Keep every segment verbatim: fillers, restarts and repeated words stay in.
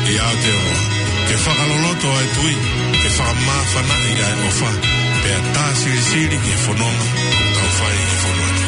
ʻI Aotearoa, ke fakaloloto ʻa e tui, ke fakamāfanaʻi ʻa e ʻofa, pea tā silisili ki he fononga ʻoku tau fai ʻi he fonua ni.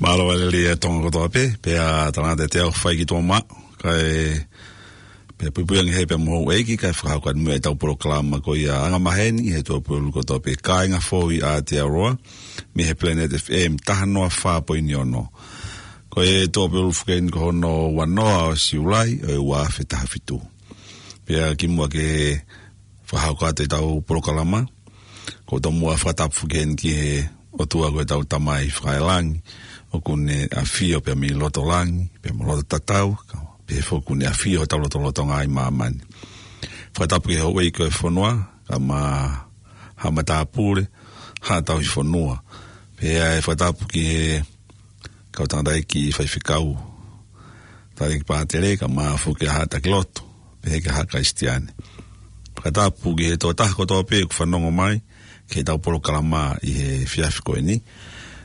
Mālō e lelei ʻa Tonga kotoa pē, pea talangata te au fai ki tō ma, kae, pea puipui ange he pea mo houʻeiki, kae fakahoko atu muʻa ʻetau polokalama ko ia anga maheni, he tuʻapulelulu kotoa pē, kāinga foʻou ʻi Aotearoa, mei he Planet F M taha noa fā poini ono. Ko e tuʻapulelulu foki eni ko hono ua noa ʻo Siulai, ʻo e ua afe taha fitu. Pea kimuʻa ke fakahoko atu ʻetau polokalama, ʻoku ou tomuʻa fakatapu foki eni ki he ʻOtua ko ʻetau Tamai fakaelangi, ʻoku ne ʻafio pea mei loto langi, pea mo loto tatau, ka, pea foki ʻoku ne ʻafio hotau lotolotonga ʻi māmani. Fakatapu ki he houʻeiki ʻo e fonua, kae ʻumaʻā haʻa matāpule, haʻa tauhi fonua. Pea ʻe fakatapu ki he kau tangataʻeiki faifekau, tangataʻeiki pātele, kae ʻumaʻā foki haʻa taki lotu, pehē ki haʻa Kalisitiane. Fakatapu ki he tokotaha kotoa pē ʻoku fanongo mai ki heʻetau polokalama ʻi he efiafi ko eni,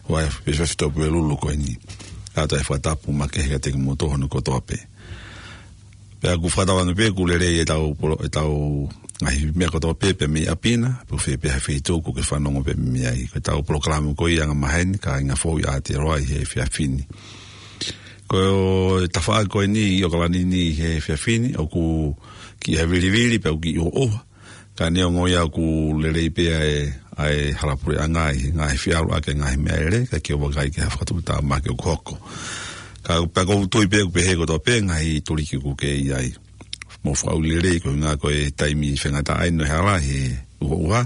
ʻo e efiafi tuʻapulelulu ko eni. Kātoa e fakatapu makehe kiate kimoutolu hono kotoa pē. Pea ʻoku fakatauange pē ʻoku lelei ʻetau polo-, ʻetau ngaahi meʻa kotoa pē, pea mei ʻapi na, pe ko fē pē ha feituʻu ʻoku ke fanongo pē mei ai. Ko ʻetau polokalama ko ia anga maheni, kāinga foʻou ʻi Aotearoa ʻi he efiafi ni. Ko e tafaʻaki ko eni ʻi ʻOkalani ni ʻi he efiafi ni, ʻoku kiʻi ʻavilivili, pea ʻoku kiʻi ʻuhoʻuha. Ka neongo ia ʻoku lelei pē ʻa e, ʻa e hala puleʻanga ʻi he ngaahi fie ʻalu ʻaki e ngaahi meʻalele, ka ke vakai ki ha fakatuʻutāmaki ʻoku hoko. Ka, pea ʻoku ou tui pē ʻoku pehē kotoa pē ngaahi tuliki ʻoku ke ʻi ai. Mou fakaʻuli lelei koeʻuhinga ko e taimi faingataʻa eni ʻo e hala he ʻuhoʻuha,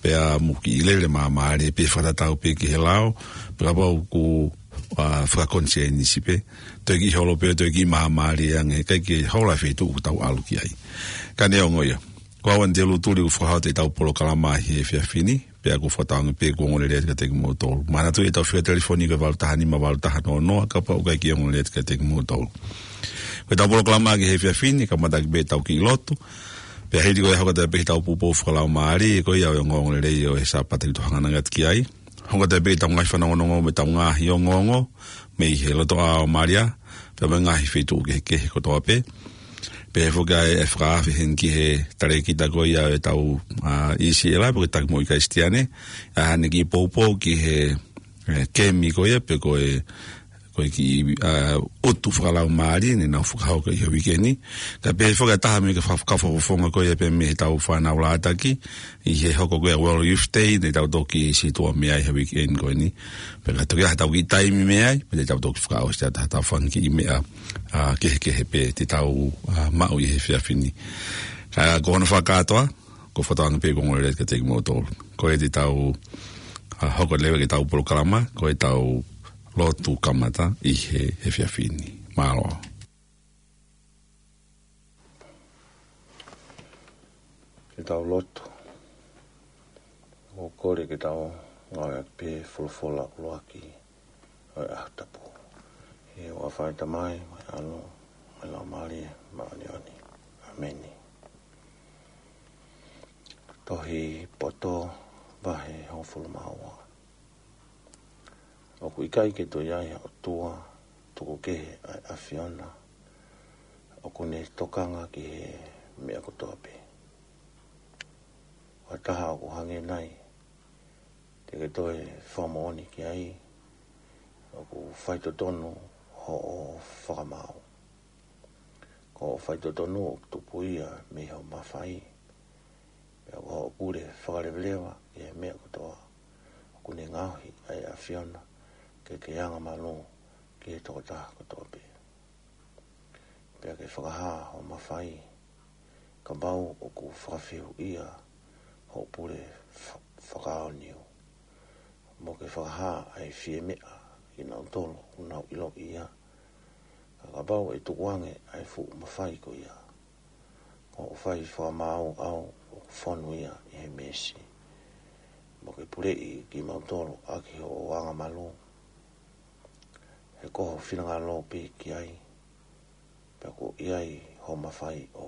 pea mou kiʻi lele māmālie pē fakatatau pē ki he lao, pea kapau ʻoku, ʻa, fakakonisienisi pē, toe kiʻi holo pē, toe kiʻi māmālie ange, ʻikai ke hola e feituʻu ʻoku tau ʻalu ki ai. Ka neongo ia, ko au Anitelū Tuli ʻoku fakahoko atu ʻetau polokalama ʻi he efiafi ni, pea ʻoku fakatauange pē ʻoku ongoongolelei atu kiate kimoutolu. Manatuʻi ʻetau fika telefoni ko e valu taha nima valu taha noa noa, kapau ʻoku ʻikai ke ongoongolelei atu kiate kimoutolu. Ko ʻetau polokalama ki he efiafi ni, kamata ʻaki pē ʻetau kiʻi lotu. Pea hili ko ia hoko atu pē ʻetau poupou fakalaumālie, ko ia ʻa e ongoongolelei ʻo e Sāpate ʻoku tau hanganaki atu ki ai. Hoko atu pē ʻetau ngaahi fanongonongo mo ʻetau ngaahi ongoongo, mei he lotoʻā ʻo Malia, pea mo e ngaahi feituʻu kehekehe kotoa pē. Pea ʻe foki ʻa e fakaafe heni ki he talēkita ko ia ʻo ʻetau, ʻa, ʻi Siela, pe ko e taki moʻui Kalisitiane, ʻa haʻane kiʻi poupou ki he, ʻe, kemi ko ia, pe ko e ko e kiʻi, ā, ʻutu fakalaumālie ne nau fakahoko ʻi he uike ni. Ka pehē foki ʻe taha mei he kau fakafofonga ko ia pea mei heʻetau fānau lātaki, ʻi he hoko ko ia World Youth Day, ne tau toki situʻa mei ai he uike ni ko eni. Pea ka toki ʻi ai haʻatau kiʻi taimi mei ai, pea te tau toki fakaʻosi atu haʻatau fanga kiʻi meʻa, ā, kehekehe pē te tau, ā, maʻu ʻi he efiafi ni. Ā, ko hono fakakātoa, ko e fakatauange pē ko e ongoongolelei kiate kimoutolu. Ko ia te tau, ā, hoko leva ki heʻetau polokalama, ko ʻetau lotu kamata ʻi he, he efiafi ni. Mālō. Ke tau lotu. ʻOku kole ke tau ngāueʻaki pē folofola ʻuluaki ʻo e ʻaho tapu. ʻI he huafa ʻo e Tamai, mo e ʻAlo, mo e Laumālie Māʻoniʻoni. ʻĀmeni. Tohi Poto vahe hongofulu mā ua. ʻOku ʻikai ke toe ʻi ai ha ʻOtua tuku kehe ʻa e ʻAfiona, ʻoku ne tokanga ki he meʻa kotoa pē. Ko ha taha ʻoku hangē nai, te ke toe fakamoʻoni ki ai, ʻoku faitotonu hoʻo fakamaau. Ko hoʻo faitotonu ʻoku tupu ia mei hoʻo mafai, pea ko hoʻo pule fakaleveleva ʻi he meʻa kotoa, ʻoku ne ngaohi ʻa e ʻAfiona ke ke angamalū ki he tokotaha kotoa pē. Pea ke fakahā hoʻo mafai, kapau ʻoku fakafehuʻia hoʻo pule fa-, fakaʻaonii. Mo ke fakahā ʻa e fiemeʻa kinautolu ʻoku nau ʻiloʻi ia. Ka kapau ʻe tukuange ʻa e fuʻu mafai ko ia, ko hoʻo fai fakamaau ʻoku fonu ia ʻi he meesi. Mo ke puleʻi kimautolu ʻaki hoʻo angamalū. He ko ho finangalo pē ki ai, pea kuo ʻi ai hoʻo mafai ʻo.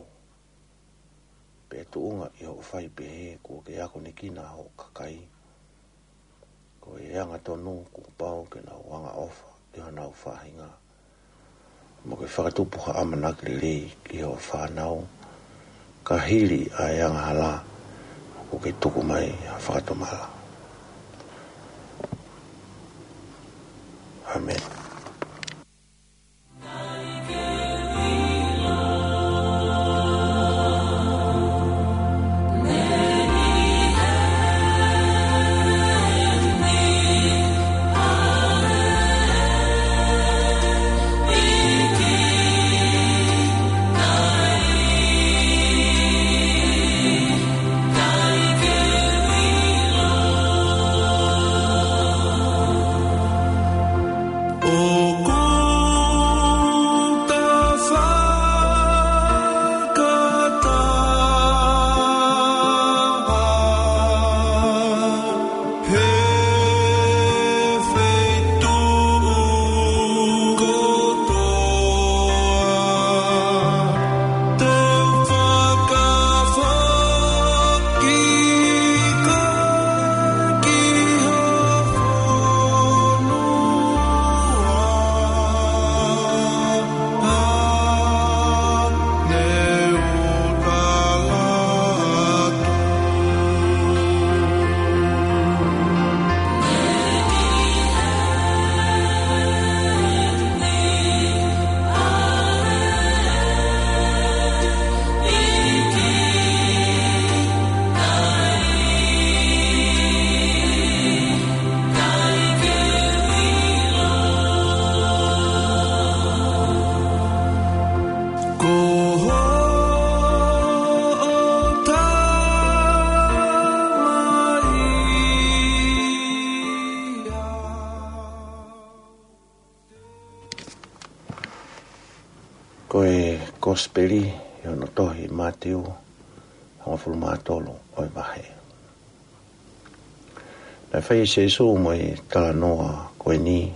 Pea tuʻunga ʻi hoʻo fai pehē kuo ke akonekina hoʻo kakai. Ko e angatonu kuo pau ke nau angaʻofa ʻi honau faʻahinga. Mo ke fakatupu ha ʻamanaki lelei ki hoʻo fānau. Ka hili ʻa e angahala, ʻoku ke tuku mai ha fakatomala. ʻĀmeni. Ko e Kosipeli ʻi hono tohi Mātiu, hongofulu mā tolu ʻo e vahe. Naʻe fai ʻe Sīsū mo e talanoa ko eni,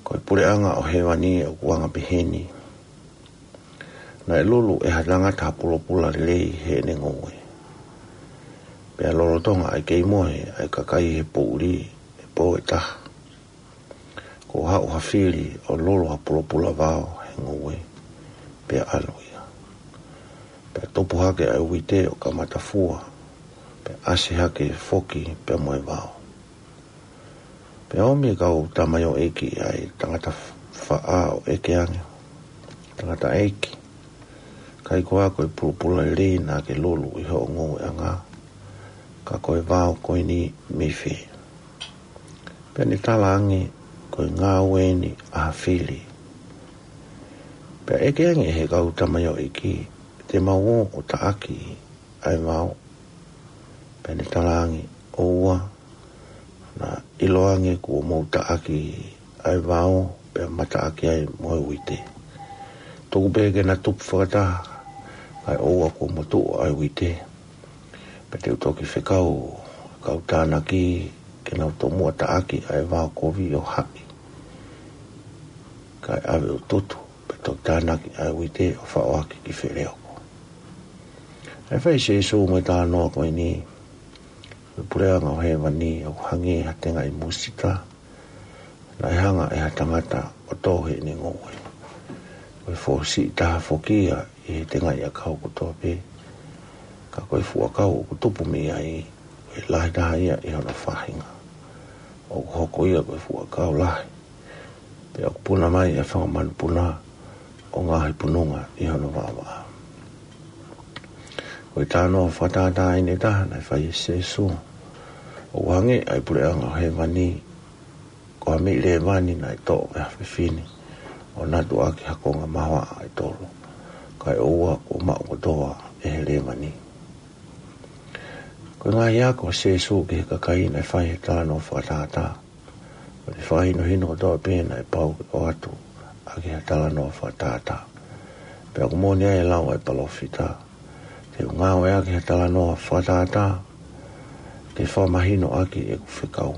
ko e puleʻanga ʻo hēvani ʻoku anga peheni. Naʻe lulu ʻe ha tangata ha pulopula lelei heʻene ngoue. Pea lolotonga ʻa e kei mohe ʻa e kakai he poʻuli ʻi he pō ʻe taha, kuo haʻu ha fili ʻo lulu ha pulopula vao he ngoue, pea ʻalu ia. Pea tupu hake ʻa e uite ʻo kamata fua, pea ʻasi hake foki pea mo e vao. Pea ʻomi ʻe he kau tamaioʻeiki ʻa e tangata faʻa ʻo ʻeke ange, Tangataʻeiki, ʻikai koā ko e pulopula lelei naʻa ke lulu ʻi hoʻo ngoueʻanga, ka ko e vao ko eni mei fē? Pea ne tala ange, Ko e ngāue eni ʻa ha fili. Pea ʻeke ange ʻe he kau tamaioʻeiki, Te mau ō ʻo taʻaki ʻa e vao? Pea ne tala ange, ʻOua, naʻa ʻiloange kuo mou taʻaki ʻa e vao, pea ma taʻaki ai mo e uite. Tuku pē ke na tupu fakataha, kae ʻoua kuo motuʻa ʻa e uite. Pea te u toki fekau ʻa e kau tānaki ke nau tomuʻa taʻaki ʻa e vao kovi ʻo haʻi, kae ʻave ʻo tutu, pea toki tānaki ʻa e uite ʻo faʻo ʻaki ki feleoko. ʻE fai ʻe Sēsū mo e talanoa ko eni, Ko e puleʻanga ʻo hēvani ʻoku hangē ha tengaʻi musita, naʻe hanga ʻe ha tangata ʻo tō heʻene ngoue. Ko e foʻi siʻi taha foki ia ʻi he tengaʻi ʻakau kotoa pē, ka ko e fuʻu ʻakau ʻoku tupu mei ai, ko e lahi taha ia ʻi hono faʻahinga. ʻOku hoko ia ko e fuʻu ʻakau lahi, pea ʻoku puna mai ʻa e fanga manupuna ʻo ngaahi pununga ʻi hono vaʻavaʻa. Ko e talanoa fakatātā eni ʻe taha naʻe fai ʻe Sēsū, ʻoku hangē ʻa e puleʻanga ʻo hēvani ko ha meʻi lēvani naʻe toʻo ʻe ha fefine, ʻo natu ʻaki ha konga mahoaʻa ʻe tolu, kae ʻoua kuo maʻu kotoa ʻe he lēvani. Ko e ngaahi ako ʻa Sēsū ki he kakai naʻe fai he talanoa fakatātā, ko ʻene fakahinohino kotoa pē naʻe pau ke ʻoatu ʻaki ha talanoa fakatātā. Pea ʻoku moʻoni ʻa e lau ʻa e palōfita, Te u ngāueʻaki ha talanoa fakatātā ke fakamahino ʻaki ʻeku fekau.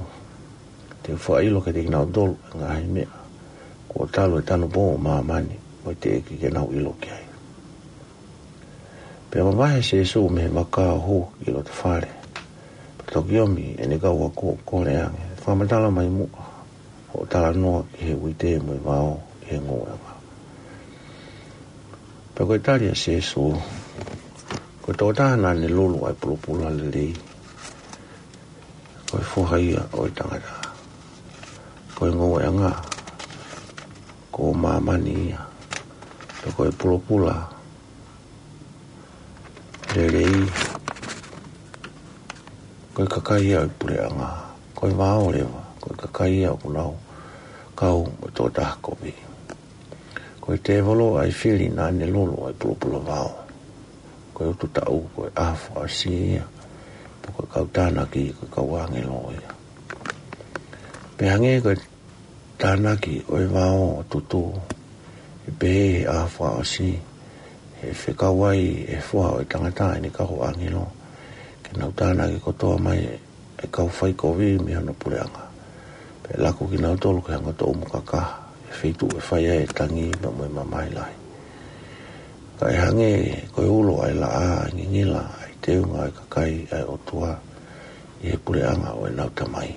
Te u fakaʻilo kiate kinautolu ʻa e ngaahi meʻa kuo talu e tanupou ʻo māmani, mo e teʻeki ke nau ʻilo ki ai. Pea mavahe ʻa Sēsū mei he vaka ʻo hū ki loto fale, pea toki ʻomi ʻene kau ako ʻo kole ange, Fakamatala mai muʻa hoʻo talanoa ki he uite mo e vao ʻi he ngoueʻanga. Pea ko e tali ʻa Sēsū, Ko e tokotaha naʻa ne lulu ʻa e pulopula lelei, ko e foha ia ʻo e tangata. Ko e ngoueʻanga ko māmani ia, pea ko e pulopula lelei ko e kakai ia ʻo e puleʻanga. Ko e vao leva ko e kakai ia ʻoku nau kau mo e tokotaha kovi. Ko e tēvolo ʻa e fili naʻa ne lulu ʻa e pulopula vao. Ko e utu taʻu ko e ʻaho fakaʻosi ia, pea ko e kau tānaki ko e kau ʻāngelo ia. Pea hangē ko e tānaki ʻo e vao ʻo tutu, ʻe pehē he ʻaho fakaʻosi, ʻe fekau ai ʻe he Foha ʻo e tangata ʻene kau ʻāngelo ke nau tānaki kotoa mai ʻa e kau faikovi mei hono puleʻanga, pea ʻe laku kinautolu ki he angatonga kakaha, ʻi he feituʻu ʻe fai ai ʻa e tangi pea mo e mamahi lahi. Ka ʻe hangē ko e ulo ʻa e laʻā ʻa e ngingila ʻa e teunga ʻa e kakai ʻa e ʻOtua ʻi he puleʻanga ʻo ʻenau Tamai.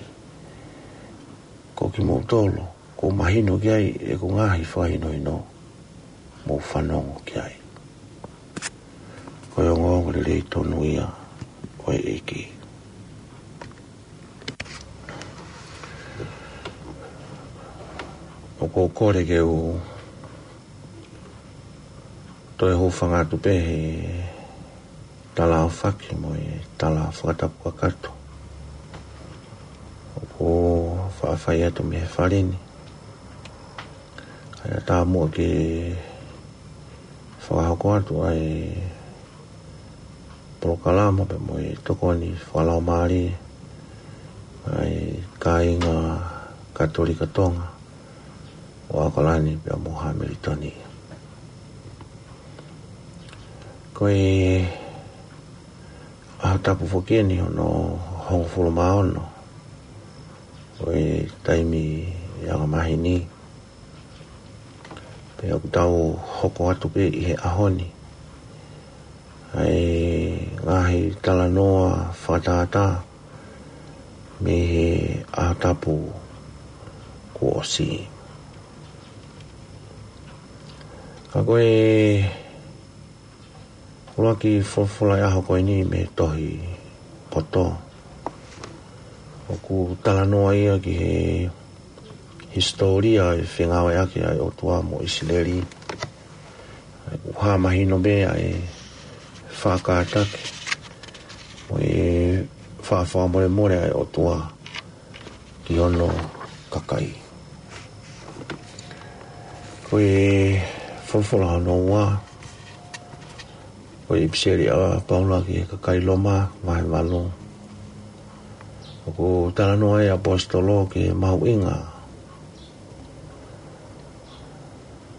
Ko kimoutolu, kuo mahino ki ai ʻeku ngaahi fakahinohino, mou fanongo ki ai. Ko e ongoongolelei tonu ia ʻo e ʻEiki. ʻOku ou kole ke u toe hūfanga atu pē he tala ʻaofaki mo e tala fakatapu kakato ʻoku faʻa fai atu mei he fale ni. Kae ʻatā muʻa ke fakahoko atu ʻa e polokalama pea mo e tokoni fakalaumālie ʻa e kāinga Katolika Tonga ʻo ʻAokalani pea mo Hamilitoni. Ko e ʻaho tapu foki eni hono hongofulu mā ono ʻo e taimi ʻe anga maheni. Pea ʻoku tau hoko atu pē ʻi he ʻaho ni ʻa e ngaahi talanoa fakatātā mei he ʻaho tapu kuo ʻosi. Ka ko e ʻuluaki folofola ʻo e ʻaho ko eni mei he tohi poto ʻo ʻOku talanoa ia ki he hisitōlia e fengāueʻaki ʻa e ʻOtua mo ʻIsileli. ʻOku hā mahino pē ʻa e faʻa kātaki mo e faʻa fakamolemole ʻa e ʻOtua ki hono kakai. Ko e folofola hono ua, ko e ʻipiseli ʻa Paula ki he kakai Loma, vahe valu. ʻOku talanoa e ʻaposetolo ki he mahuʻinga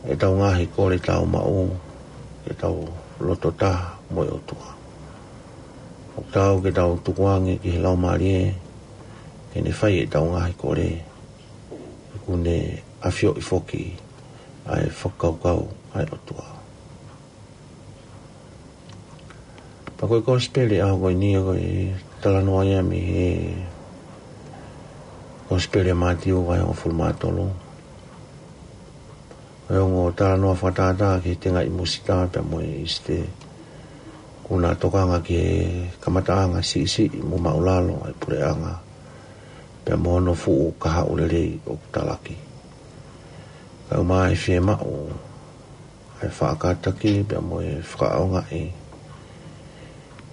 ʻetau ngaahi kole tau maʻu, ʻetau loto taha mo e ʻOtua. ʻOku taau ke tau tukuange ki he Laumālie ke ne fai ʻetau ngaahi kole, ʻoku ne ʻafioʻi foki ʻa e fakakaukau ʻa e ʻOtua. Pea ko e kosipeli ʻo e ʻaho ko eni ko e talanoa ia mei he kosipeli ʻa Mātiu vahe hongofulu mā tolu. Ko e ongo talanoa fakatātā ki he tengaʻi musita pea mo e ʻīsite. ʻOku na tokanga ki he kamataʻanga siʻisiʻi mo māʻulalo ʻa e puleʻanga pea mo hono fuʻu kahaʻu lelei ʻoku talaki. Kae ʻumaʻā e fiemaʻu ʻa e faʻa kātaki pea mo e fakaʻaongaʻi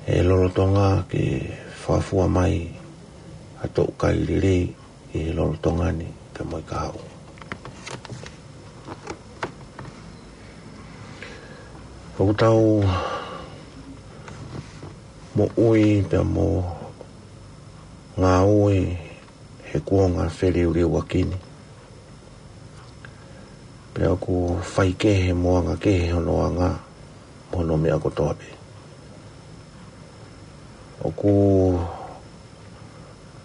e lolotonga ke fakafua mai ha toʻukai lelei ʻi he lolotonga ni pea mo e kahaʻu. ʻOku tau moʻui pea mo ngāue he kuonga feliuliuaki ni. Pea ʻoku faikehe mo angakehe hono anga mo hono meʻa kotoa pē. ʻOku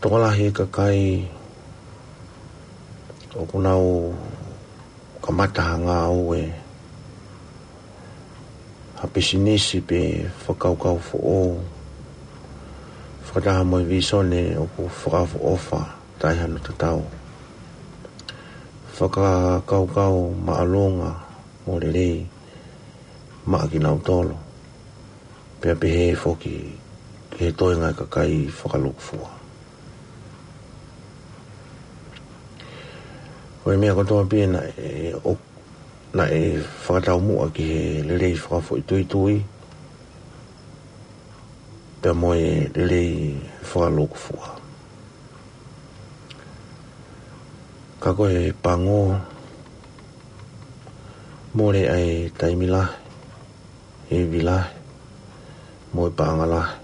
tokolahi e kakai ʻoku nau kamata ha ngāue, ha pisinisi pe fakakaukau foʻou, fakataha mo e vīsone ʻoku fakaʻofoʻofa taʻe hano tatau. Fakakaukau māʻolunga mo lelei maʻa kinautolu, pea pehē foki ki he toenga e kakai fakalūkufua. Ko e meʻa kotoa pē naʻe ʻo-, naʻe fakataumuʻa ki he lelei fakafoʻituitui pea mo e lelei fakalūkufua. Ka ko e pango, mole ʻa e taimi lahi, ivi lahi mo e paʻanga lahi.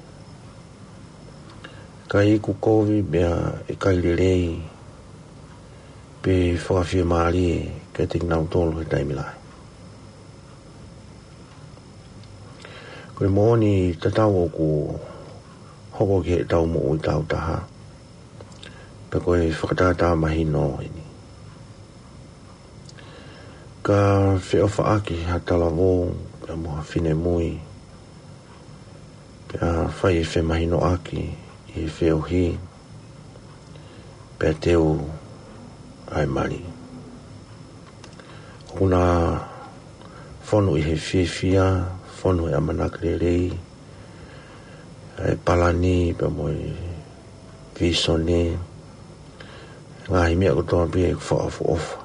Ka ʻoku kovi pea ʻikai lelei pe fakafiemālie kiate kinautolu he taimi lahi. Ko e moʻoni tatau ʻoku hoko ki heʻetau moʻui taautaha, pea ko e fakatātā mahino eni. Ka feʻofaʻaki ha talavou pea mo ha finemui, pea fai e femahinoʻaki ʻi he feohi, pea teu ʻa e mali. ʻOku na fonu ʻi he fiefia, fonu he ʻamanaki lelei, ʻa e palani pea mo e vīsone, ngaahi meʻa kotoa pē ʻoku fakaʻofoʻofa,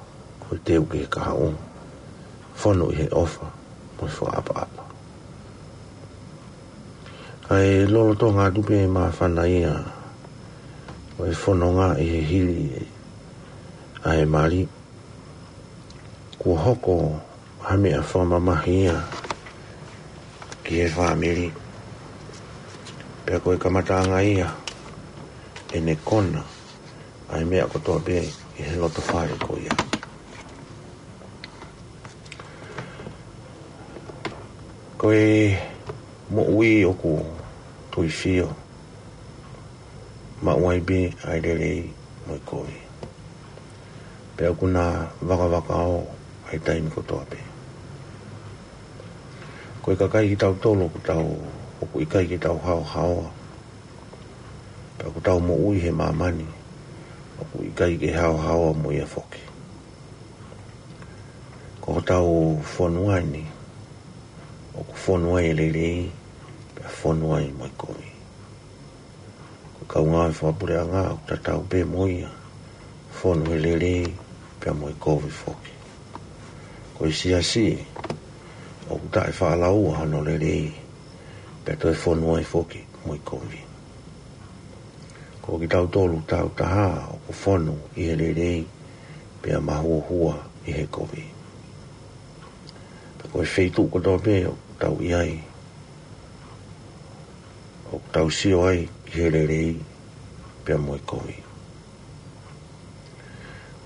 ko e teu ki he kahaʻu, fonu ʻi he ʻofa mo e fakaʻapaʻapa. Kae lolotonga atu pē māfana ia ʻo e fononga ʻi he hili ʻa e mali, kuo hoko ha meʻa fakamamahi ia ki he fāmili. Pea ko e kamataʻanga ia ʻene kona ʻa e meʻa kotoa pē ʻi he loto fale ko ia. Ko e moʻui ʻoku tuifio, maʻu ai pē ʻa e lelei mo e kovi. Pea ʻoku na vakavakao ʻa e taimi kotoa pē. Ko e kakai kitautolu ʻoku tau, ʻoku ʻikai ke tau haohaoa. Pea ʻoku tau moʻui he māmani ʻoku ʻikai ke haohaoa mo ia foki. Ko hotau fonua ni, ʻoku fonu ai e lelei, pea fonu ai mo e kovi. Ko Kau ngāue fakapuleʻanga ʻoku tatau pē mo ia, fonu he lelei pea mo e kovi foki. Ko e siasi ʻoku taʻefaʻalaua hono lelei, pea toe fonu ai foki mo e kovi. Ko kitautolu tautaha ʻoku fonu ʻi he lelei, pea mahuohua ʻi he kovi. Pea ko e feituʻu kotoa pē ʻoku tau ʻi ai, ʻoku tau sio ai ki he lelei pea mo e kovi.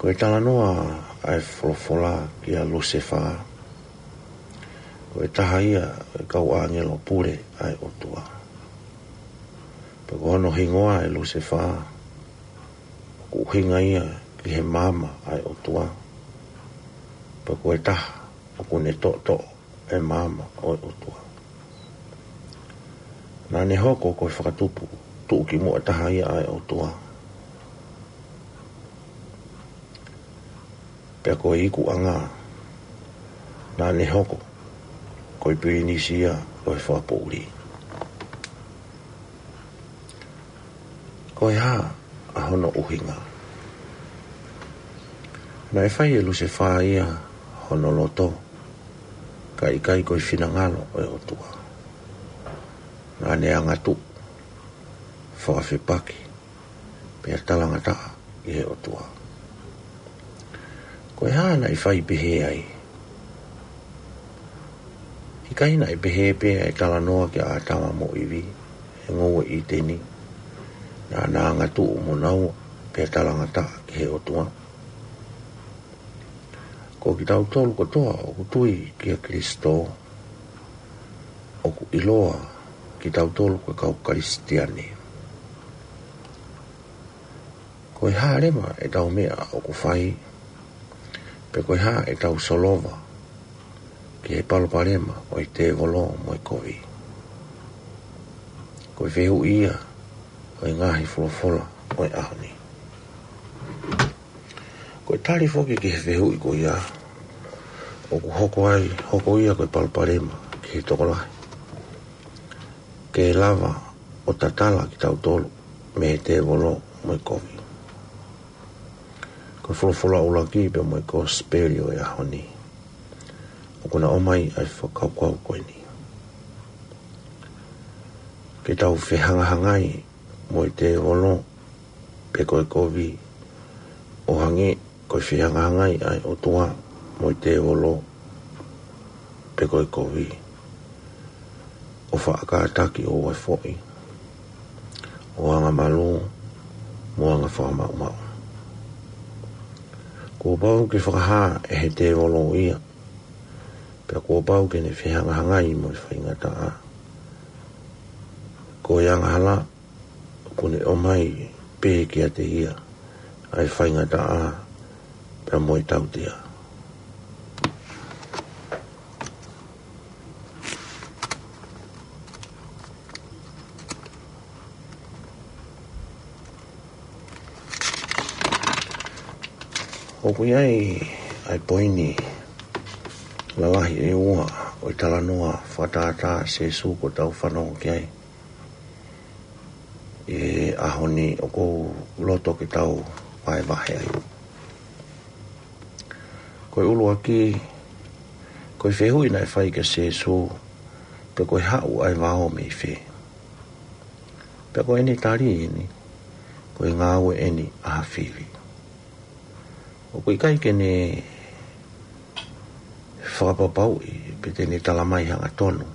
Ko e talanoa ʻa e folofola kia Lusefā, ko e taha ia ʻo e kau ʻāngelo pule ʻa e ʻOtua. Pea ko hono hingoa ʻe Lusefā, ʻoku ʻuhinga ia ki he maama ʻa e ʻOtua. Pea ko e taha ʻoku ne toʻotoʻo e maama ʻo e ʻOtua. Naʻa ne hoko ko e fakatupu tuʻukimuʻa taha ia ʻa e ʻOtua. Pea ko e ikuʻanga, naʻa ne hoko ko e pilinisi ia ʻo e fakapoʻuli. Ko e hā ʻa hono ʻuhinga? Naʻe fai ʻe Lusefā ia hono loto, ka ʻikai ko e finangalo ʻo e ʻOtua. Naʻa ne angatuʻu, fakafepaki, pea talangataʻa ki he ʻOtua. Ko e hā naʻe fai pehē ai? ʻIkai naʻe pehē pē ʻa e talanoa kia ʻĀtama mo ʻIvi he ngoue ʻĪteni, naʻa na angatuʻu mo naua pea talangataʻa ki he ʻOtua? Ko kitautolu kotoa ʻoku tui kia Kalaisi, ʻoku ʻiloa kitautolu ko e kau Kalisitiane. Ko e hā leva ʻetau meʻa ʻoku fai, pe ko e hā ʻetau solova ki he palopalema ʻo e tēvolo mo e kovi? Ko e fehuʻi ia ʻo e ngaahi folofola ʻo e ʻaho ni. Ko e tali foki ki he fehuʻi ko ia, ʻoku hoko ai, hoko ia ko e palopalema ki he tokolahi, ke lava ʻo tatala kitautolu mei he tēvolo mo e kovi. Ko e folofola ʻuluaki pea mo e kosipeli ʻo e ʻaho ni, ʻoku na ʻomai ʻa e fakakaukau ko eni. Ke tau fehangahangai mo e tēvolo pe ko e kovi, ʻo hangē ko e fehangahangai ʻa e ʻOtua mo e tēvolo pe ko e kovi, ʻo faʻa kātaki ʻo uefoʻi, ʻo angamalū, mo anga fakamaʻumaʻu. Kuo pau ke fakahā ʻe he tēvolo ia, pea kuo pau ke ne fehangahangai mo e faingataʻa. Ko e angahala ʻoku ne ʻomai pē kiate ia ʻa e faingataʻa pea mo e tautea. ʻOku ʻi ai ʻa e poini lalahi ʻe ua ʻo e talanoa fakatātā ʻa Sīsū kuo tau fanongo ki ai ʻi he ʻaho ni, ʻoku ou loto ke tau vahevahe ai. Ko e ʻuluaki, ko e fehuʻi naʻe fai kia Sīsū, pe ko e haʻu ʻa e vao mei fē? Pea ko ʻene tali eni, ko e ngāue eni ʻa ha fili. ʻOku ʻikai ke ne fakapapauʻi pe te ne talamai hangatonu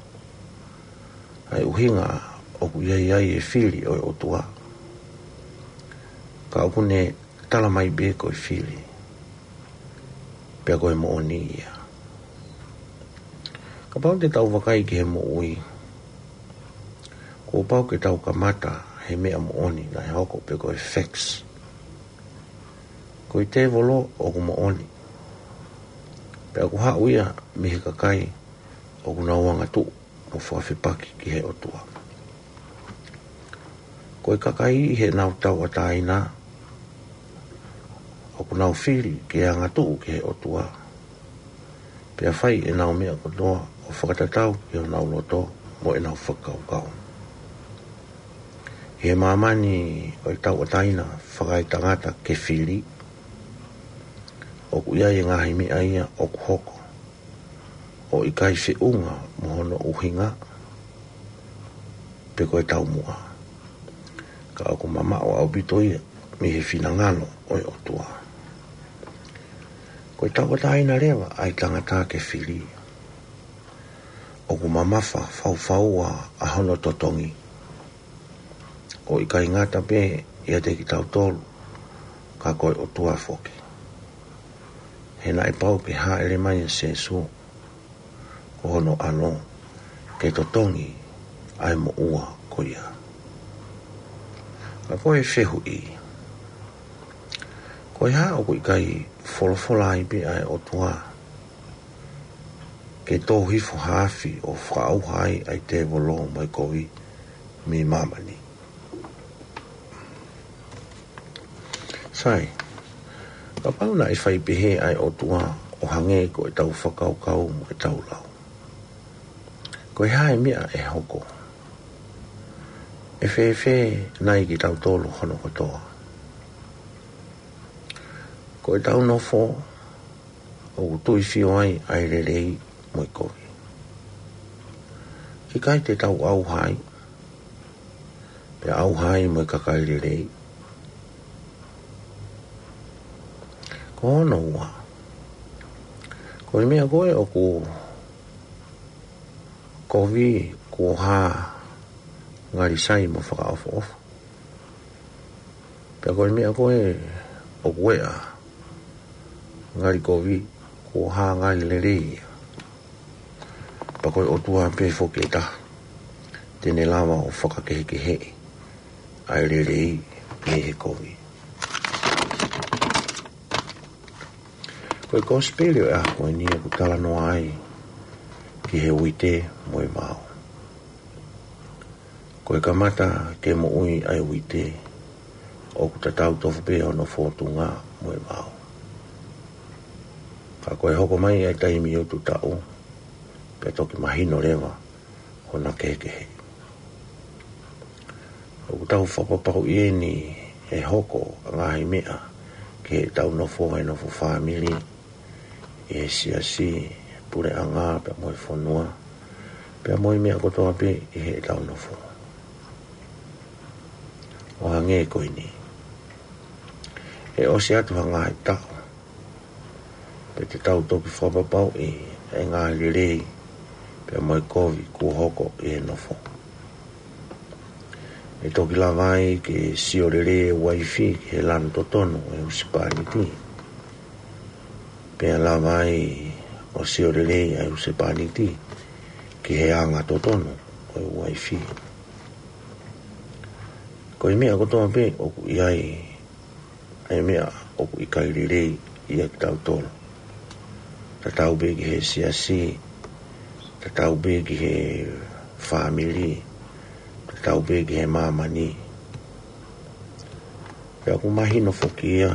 ʻa e ʻuhinga ʻoku ʻi ai ai e fili ʻo e ʻOtua. Ka ʻoku ne talamai pē ko e fili, pea ko e moʻoni ia. Kapau te tau vakai ki he moʻui, kuo pau ke tau kamata he meʻa moʻoni naʻe hoko pe ko e facts. Ko e tēvolo ʻoku moʻoni. Pea ʻoku haʻu ia mei he kakai ʻoku nau angatuʻu mo fakafepaki ki he ʻOtua. Ko e kakai ʻi heʻenau tauʻatāina, ʻoku nau fili ke angatuʻu ki he ʻOtua, pea fai ʻenau meʻa kotoa ʻo fakatatau ki honau loto mo ʻenau fakakaukau. ʻI he māmani ʻo e tauʻatāina fakaetangata ke fili, ʻoku ʻi ai e ngaahi meʻa ia ʻoku hoko ʻo ʻikai feʻunga mo hono ʻuhinga pe ko e taumuʻa, ka ʻoku mamaʻo ʻaupito ia mei he finangalo ʻo e ʻOtua. Ko e tauʻatāina leva ʻa e tangata ke fili, ʻoku mamafa faufaua ʻa hono totongi, ʻo ʻikai ngata pē ʻiate kitautolu, ka ko e ʻOtua foki. He naʻe pau ke hāʻele mai ʻa Sēsū, ko hono ʻAlo, ke totongi ʻa e moʻua ko ia. Ka ko e fehuʻi, ko e hā ʻoku ʻikai folofola ai pē ʻa e ʻOtua ke tō hifo ha afi ʻo fakaʻauha ai ʻa e tēvolo mo e kovi mei māmani? Sai, kapau naʻe fai pehē ʻa e ʻOtua ʻo hangē ko ʻetau fakakaukau mo ʻetau lau, ko e hā e meʻa ʻe hoko? ʻE fēfē nai kitautolu hono kotoa? Ko ʻetau nofo ʻoku tuifio ai ʻa e lelei mo e kovi. ʻIkai te tau ʻauha ai, pea ʻauha ai mo e kakai lelei? Ko hono ua, ko e meʻa ko ē ʻoku kovi kuo hā ngali sai mo fakaʻofoʻofa, pea ko e meʻa ko ē ʻoku eʻa ngali kovi kuo hā ngali lelei ia. Pea ko e ʻOtua pē foki ʻe taha te ne lava ʻo fakakehekeheʻi ʻa e lelei mei he kovi. Ko e kosipeli ʻo e ʻaho ko eni ʻoku talanoa ai ki he uite mo e vao. Ko e kamata ke moʻui ʻa e uite, ʻoku tatau tofu pē hono fōtunga mo e vao. Ka ko e hoko mai ʻa e taimi ʻo e taʻu, pea toki mahino leva hona kehekehe. ʻOku tau fakapapauʻi eni ʻe hoko ʻa e ngaahi meʻa ki heʻetau nofo, he nofo fāmili, ʻi he siasi, puleʻanga, pea mo e fonua, pea mo e meʻa kotoa pē ʻi heʻetau nofo. ʻO hangē ko eni, ʻe ʻosi atu ha ngaahi taʻu, pea te tau toki fakapapauʻi ʻa e ngaahi lelei pea mo e kovi kuo hoko ʻi he nofo. ʻE toki lava ai ke sio lelei e uaifi ki he lanu totonu ʻo e husepāniti, pea lava ai ʻo sio lelei ʻa e husepāniti ki he anga totonu ʻo e uaifi. Ko e meʻa kotoa pē ʻoku ʻi ai ʻa e meʻa ʻoku ʻikai lelei ʻia kitautolu, tatau pē ki he siasi, tatau pē ki he fāmili, tatau pē ki he māmani. Pea ʻoku mahino foki ia,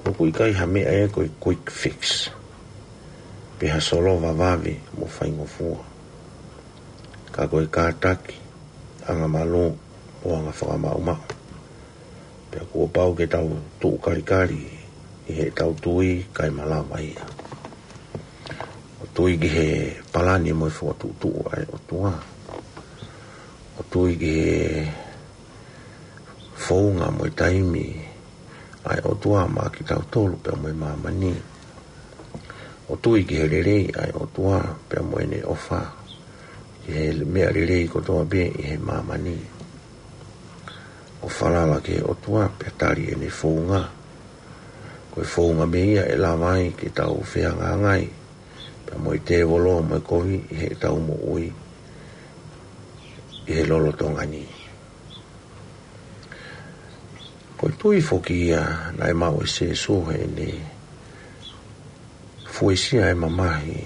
ʻoku ʻikai ha meʻa ia ko e quick fix, pe ha solova vave mo faingofua, ka ko e kātaki, angamalū, ʻo anga fakamaʻumaʻu. Pea kuo pau ke tau tuʻu kalikali ʻi heʻetau tui kae malava ia. ʻO tui ki he palani mo e fokotuʻutuʻu ʻa e ʻOtua. ʻO tui ki he founga mo e taimi ʻa e ʻOtua maʻa kitautolu pea mo e māmani. ʻO tui ki he lelei ʻa e ʻOtua pea mo ʻene ʻofa ki he meʻa lelei kotoa pē ʻi he māmani. ʻO falala ki he ʻOtua pea tali ʻene founga. Ko e founga mei ia ʻe lava ai ke tau fehangahangai pea mo e tēvolo mo e kovi ʻi heʻetau moʻui ʻi he lolotonga ni. Ko e tui foki ia naʻe maʻu ʻe Sēsū heʻene fuesia e mamahi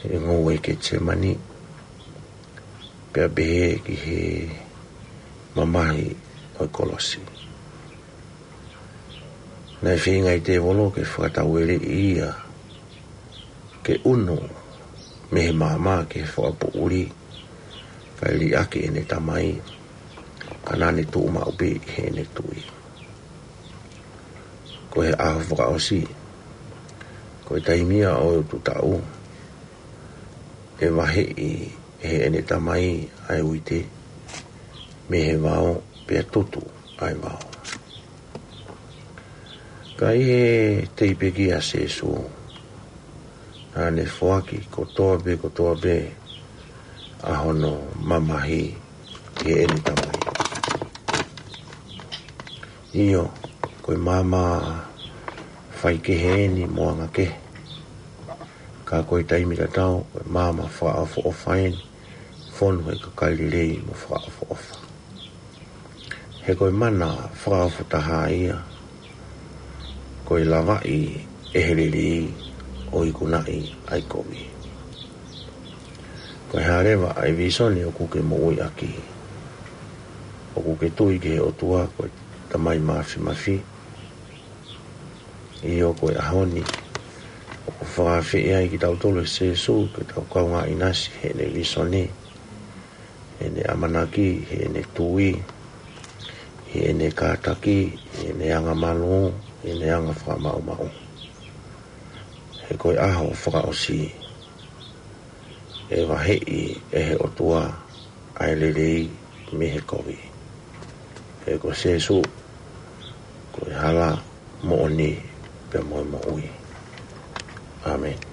he ngoue Ketisemani, pea pehē ki he mamahi ʻo e kolosi. Naʻe feinga e tēvolo ke fakataueleʻi ia ke ʻunu mei he maama ki he fakapoʻuli, kae liʻaki ʻene tamai, ka naʻa ne tuʻu maʻu pē ʻi heʻene tui. Ko e ʻaho fakaʻosi, ko e taimi ia ʻo e ututaʻu, ʻe vaheʻi ʻe heʻene tamai ʻa e uite mei he vao, pea tutu ʻa e vao. Ka ʻi he teʻeki pekia ʻa Sēsū, naʻa ne foaki kotoa pē, kotoa pē ʻa hono mamahi ki heʻene tamai. ʻIo, ko e maama faikehe eni mo angakehe. Ka ko e taimi tatau, ko e maama fakaʻofoʻofa eni, fonu he kakai lelei mo fakaʻofoʻofa. He ko e mana fakaʻofoʻofa taha ia, ko e lavaʻi ʻe he lelei ʻo ikunaʻi ʻa e kovi. Ko e hā leva ʻa e vīsone ʻoku ke moʻui ʻaki? ʻOku ke tui ki he ʻOtua ko e Tamai Mafimafi? ʻIo, ko e ʻaho ni, ʻoku fakaafeʻi ai kitautolu ʻe Sēsū ke tau kaungā ʻinasi heʻene vīsone, heʻene ʻamanaki, heʻene tui, heʻene kātaki, heʻene angamalū, heʻene anga fakamaʻumaʻu. He ko e ʻaho fakaʻosi, ʻe vaheʻi ʻe he ʻOtua ʻa e lelei mei he kovi. He ko Sēsū, ko e hala, moʻoni, pea mo e moʻui. ʻĀmeni.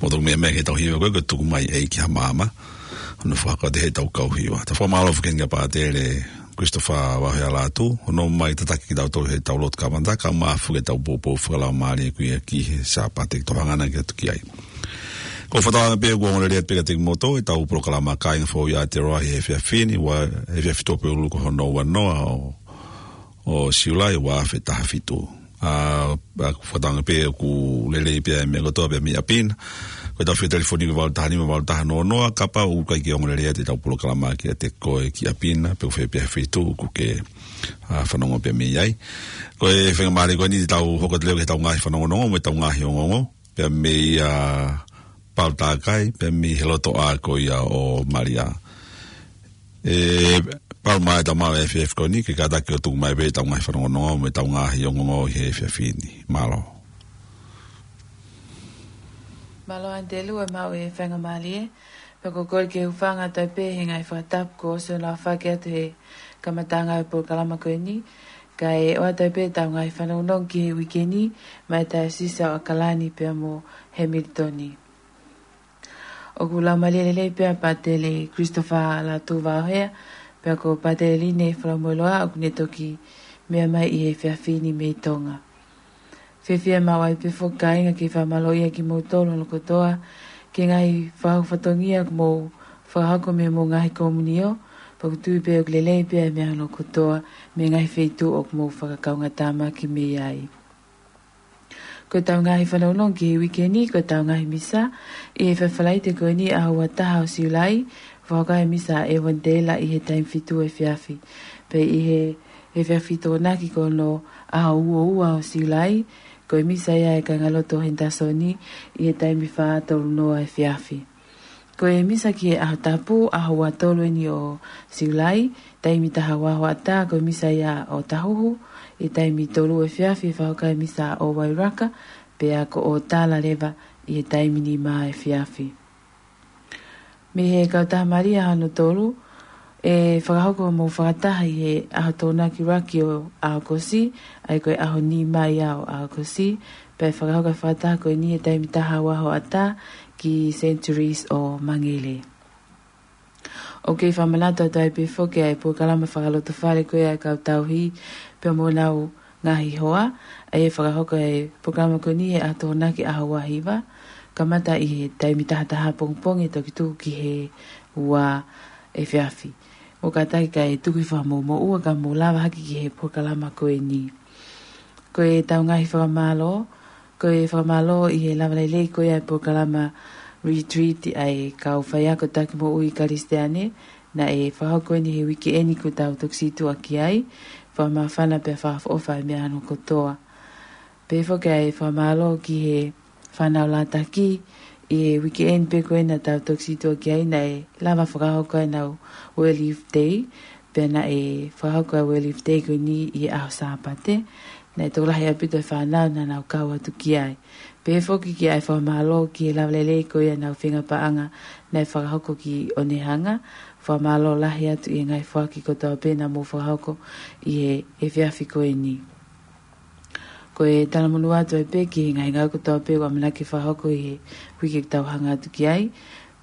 Mo tau meʻa mai ki heʻetau hiva ko ē, ko e Tuku Mai ʻEiki ha Maama. Hono fakakau atu heʻetau kau hiva. Tau fakamālō foki kia Pātele Christopher Vahealatu, hono ʻomai tataki kitautolu heʻetau lotu kamata, kae ʻumaʻā foki ʻetau poupou fakalaumālie ko ia ki he Sāpate, ke tau hanga ʻo ʻatu ki ai. Ko e fakatauange pē ʻoku ongo lelei atu pē kiate kimoutolu ʻetau polokalama Kāinga Fou ʻi Aotearoa he efiafi ni, ua, efiafi Tuʻapulelulu ko hono ua noa ʻo ʻo Siulai ua afe taha fitu. ʻA, ʻa, fakatauange pē ʻoku lelei pē ʻa e meʻa kotoa pē mei ʻapi na. Ko ʻetau fika telefoni ko e valu taha nima, valu taha noa noa, kapau ʻoku ʻikai ke ongo lelei atu ʻetau polokalama kiate koe ki ʻapi na, pe ko fē pē ha feituʻu ʻoku ke, ʻa, fanongo pē mei ai. Ko e faingamālie ko eni te tau hoko atu leva ki heʻetau ngaahi fanongonongo, mo ʻetau ngaahi ongoongo, pea mei, ʻa, Palu Takai, pea mei he lotoʻā ko ia ʻo Malia. ʻE, Palu mai ʻetau maʻu e efiafi ko eni, ke kātaki ʻo tuku mai pē ʻetau ngaahi fanongonongo, mo ʻetau ngaahi ongoongo ʻi he efiafi ni. Mālō. Mālō Aniteliu e maʻu e faingamālie, pea ko e kole ke u hūfanga atu ai pē he ngaahi fakatapu kuo ʻosi hono aofaki atu he kamataʻanga ʻo e polokalama ko eni, kae ʻoatu ai pē ʻetau ngaahi fanongonongo ki he uike ni, maʻa e Taiosisi ʻo ʻAokalani pea mo Hemilitoni. ʻOku laumālie lelei pē ʻa Pātele Christopher Lātū Vaohea, pea ko Pātele Line Falamoeloa ʻoku ne toki meʻa mai ʻi he efiafi ni mei Tonga. Fiefia maʻu ai pē foki kāinga ke fakamālōʻia kimoutolu hono kotoa, ki he ngaahi fakahoko fatongia kuo mou fakahoko mei hoʻomou ngaahi komiunio, pea ʻoku ou tui pē ʻoku lelei pē ʻa e meʻa hono kotoa, mei he ngaahi feituʻu ʻoku mou fakakaungātāmaki mei ai. Ko ʻetau ngaahi fanongonongo ki he uike ni, ko ʻetau ngaahi misa, ʻi he efiafi Falaite ko eni ʻaho ua taha ʻo Siulai, fakahoko ai e misa ʻa e Evanitela ʻi he taimi fitu efiafi. Pea ʻi he efiafi Tokonaki ko hono ʻaho ua ua ʻo Siulai, ko e misa ia ʻa e kāingalotu ʻo Henderson ʻi he taimi fā tolu noa efiafi. Ko e misa ki he ʻaho tapu, ʻaho ua tolu eni ʻo Siulai, taimi taha ua hoʻatā, ko e misa ia ʻo Tahuhu, ʻi he taimi tolu efiafi, fakahoko ai e misa ʻo Wairaka, pea ko ʻo Tala leva ʻi he taimi nima efiafi. Mei he Kautaha Malia hono tolu, ʻe fakahoko hoʻomou fakataha ʻi he ʻaho Tokonaki Raki ʻo ʻAokosi, ʻa ia ko e ʻaho nima ia ʻo ʻAokosi, pea ʻe fakahoko e fakataha ko eni he taimi taha ua hoʻatā ki Centuries ʻo Mangere. ʻOku kei fakamanatu atu ai pē foki ʻa e polokalama fakalotofale ko ia ʻa e kau tauhi pea mo honau ngaahi hoa, ʻa ia ʻe fakahoko e polokalama ko eni he ʻaho Tokonaki ʻaho ua hiva, kamata ʻi he taimi taha taha pongipongi ʻo toki tuku ki he ua efiafi. ʻOku kātaki kae tuku e fakamoʻumoʻua ka mou lava hake ki he polokalama ko eni. Ko ʻetau ngaahi fakamālō, ko e fakamālō ʻi he lava lelei ko ia e polokalama retreat ʻa e kau faiako taki moʻui Kalisitiane, naʻe fakahoko eni he uike eni kuo tau toki situʻa ki ai, fakamāfana pea fakaʻofoʻofa e meʻa hono kotoa. Pehē foki ʻa e fakamālō ki he fānau Lātaki, ʻi he uike eni pē ko ē naʻa tau toki situʻa ki ai naʻe lava fakahoko ai ʻenau World Youth Day, pea naʻe fakahoko ʻa e World Youth Day ko eni ʻi he ʻaho Sāpate, naʻe tokolahi ʻaupito e fānau naʻa nau kau atu ki ai. Pehē foki ki ai fakamālō ki he lava lelei ko ia ʻenau feinga paʻanga naʻe fakahoko ki Onehunga, fakamālō lahi atu ʻi he ngaahi foaki kotoa pē naʻa mou fakahoko ʻi he efiafi ko eni. Ko e talamonū atu ai pē ki he ngaahi ngāue kotoa pē ʻoku ʻamanaki fakahoko ʻi he uike ʻoku tau hanga atu ki ai,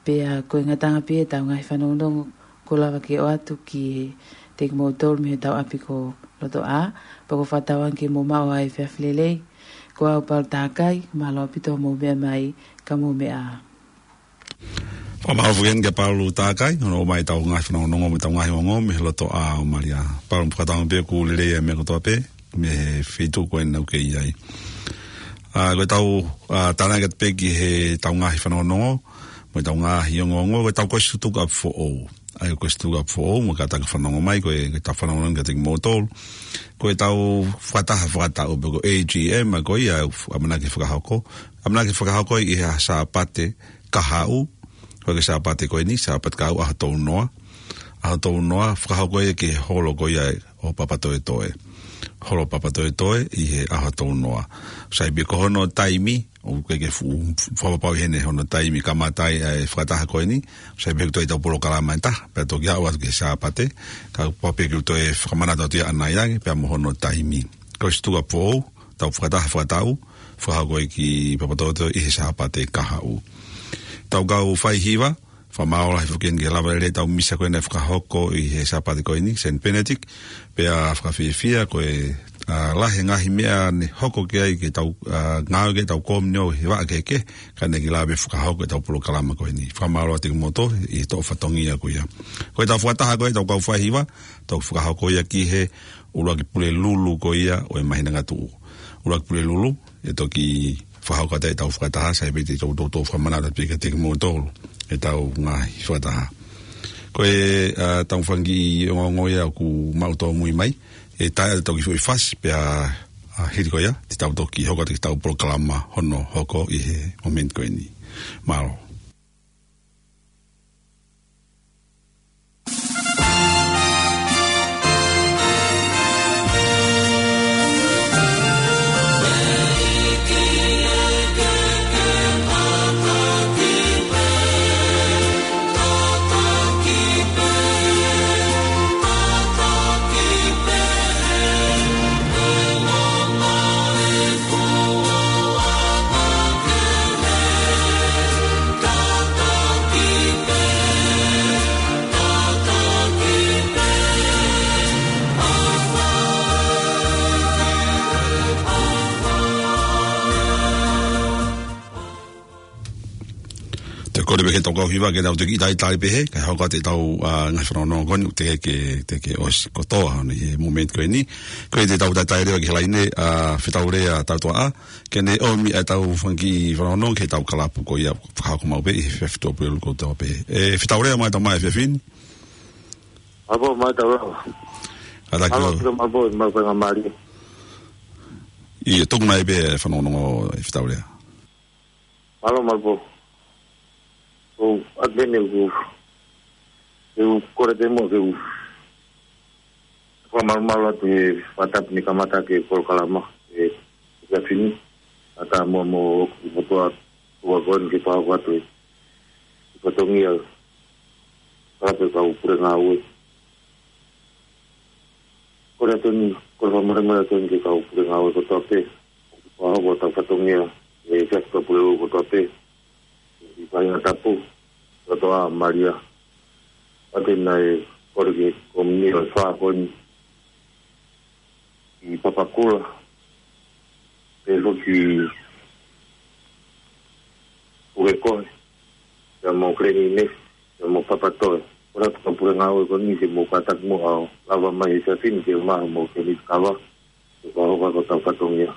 pea ko e ngataʻanga pē ʻetau ngaahi fanongonongo kuo lava ke ʻoatu kiate kimoutolu mei hotau ʻapi ko Lotoʻā, pea ʻoku ou fakatauange ke mou maʻu ʻa e efiafi lelei, ko au Paula Takai, mālō ʻaupito hoʻomou meʻa mai, ka mou meʻa ā. Fakamālō foki eni kia Paula Takai, hono ʻomai ʻetau ngaahi fanongonongo mo ʻetau ngaahi ongoongo mei Lotoʻā ʻo Malia. Paula, fakatauange pē ʻoku lelei ʻa e meʻa kotoa pē, mei he feituʻu ko ē naʻa ke ʻi ai. ʻA, ko ʻetau, ʻa, tānaki atu pē ki heʻetau ngaahi fanongonongo, mo ʻetau ngaahi ongoongo, ko ʻetau kuo ʻosi tuku ʻapi foʻou. ʻA ia ko ʻosi tuku ʻapi foʻou, mo kātaki fanongo mai, ko e, ko ʻetau fanongonongo kiate kimoutolu. Ko ʻetau fakataha fakataʻu pe ko e A G M, ʻa ia ko ia, ʻamanaki fakahoko. ʻAmanaki fakahoko ʻi he Sāpate kahaʻu, ko e Sāpate ko eni, Sāpate kahaʻu ʻaho tolu noa. ʻAho tolu noa, fakahoko ia ki he holo ko ia ʻo Papatoetoe. Holo Papatoetoe ʻi he ʻaho tolu noa. Sai pē ko hono taimi, ʻoku ʻikai ke fuʻu fakapapauʻi heni hono taimi kamata ai ʻa e fakataha ko eni, sai pē ʻoku toe ʻi ai ʻetau polokalama ʻe taha, pea toki aʻu atu ki he Sāpate, ka ʻoku pau pē ke u toe fakamanatu atu ia ʻanai ange, pea mo hono taimi. Ko ʻosi tuku ʻapi foʻou, ʻetau fakataha fakataʻu, fakahoko ia ki Papatoetoe ʻi he Sāpate kahaʻu. ʻEtau kau faihiva, fakamālō lahi foki eni ki he lava lelei ʻetau misa ko ē naʻe fakahoko ʻi he Sāpate ko eni, Saint Benedict, pea fakafiefia ko e, ʻa, lahi e ngaahi meʻa ne hoko ki ai ke tau, ʻa, ngāue ki heʻetau komiunio he vaʻa kehekehe, ka naʻe kei lava pē fakahoko ʻetau polokalama ko eni. Fakamālō atu kimoutolu ʻi he toʻo fatongia ko ia. Ko ʻetau fakataha ko ē ʻetau kau faihiva, tau fakahoko ia ki he ʻuluaki Pulelulu ko ia ʻo e māhina ngatuʻu. ʻUluaki Pulelulu, ʻe toki fakahoko atu ʻetau fakataha, sai pē te tau toutou fakamanatu pē kiate kimoutolu ʻetau ngaahi fakataha. Ko e, ʻa, tau fanga kiʻi ongoongo ia ʻoku mau tōmui mai, ʻe tae atu ʻetau kiʻi foʻi fasi, pea, ʻa, hili ko ia, te tau toki hoko atu ki heʻetau polokalama hono hoko ʻi he momeniti ko eni. Mālō. Kole pē ke tau kau hiva ke tau toki talitali pē he, kae hoko atu ʻetau, ā, ngaahi fanongonongo ko eni, teʻeki ke, teʻeki ke ʻosi kotoa hono ʻi he momeniti ko eni. Ko ia te tau talitali leva ki he laine, ā, Fetaulea Tautoaʻa, ke ne ʻomi ʻetau fanga kiʻi fanongonongo ki heʻetau kalapu ko ia fakahoko maʻu pē ʻi he efiafi Tuʻapulelulu kotoa pē. ʻE, Fetaulea mai tau mai efiafi ni. Mālō mai tau lava. Ata Mālō kilo. Pito Malipō, mālō pē ngā mālie. ʻIo, tuku mai pē fanongonongo ʻe Fetaulea. Mālō Malipō. ʻOku ʻatā pē ʻeku, ʻeku kole pē muʻa ke u fakamalumalu atu he fakatapu ni kamata ki he polokalama ʻi he efiafi ni. Ata muʻa mo ʻeku motuʻa ʻoku ʻi heni ke fakahoko atu e fatongia kalape kau pule ngāue. Kole atu ni, kole fakamolemole atu ni ki he kau pule ngāue kotoa pē. Fakahoko ʻetau fatongia ʻi he efiafi Tuʻapulelulu kotoa pē. ʻI Faingatapu, Tautoʻa Malia. ʻAtā naʻe kole ki he kōmiti ʻo e fā ko eni ʻi Papakura. Pea foki Pukekohe, pea mo Kileni Inesi, pea mo Papatoe. Kole atu kau pule ngāue ko eni ke mou kātaki muʻa ʻo lava mai he efiafi ni ke maʻu mo Kileni Kava. Ke fakahoko ʻetau fatongia.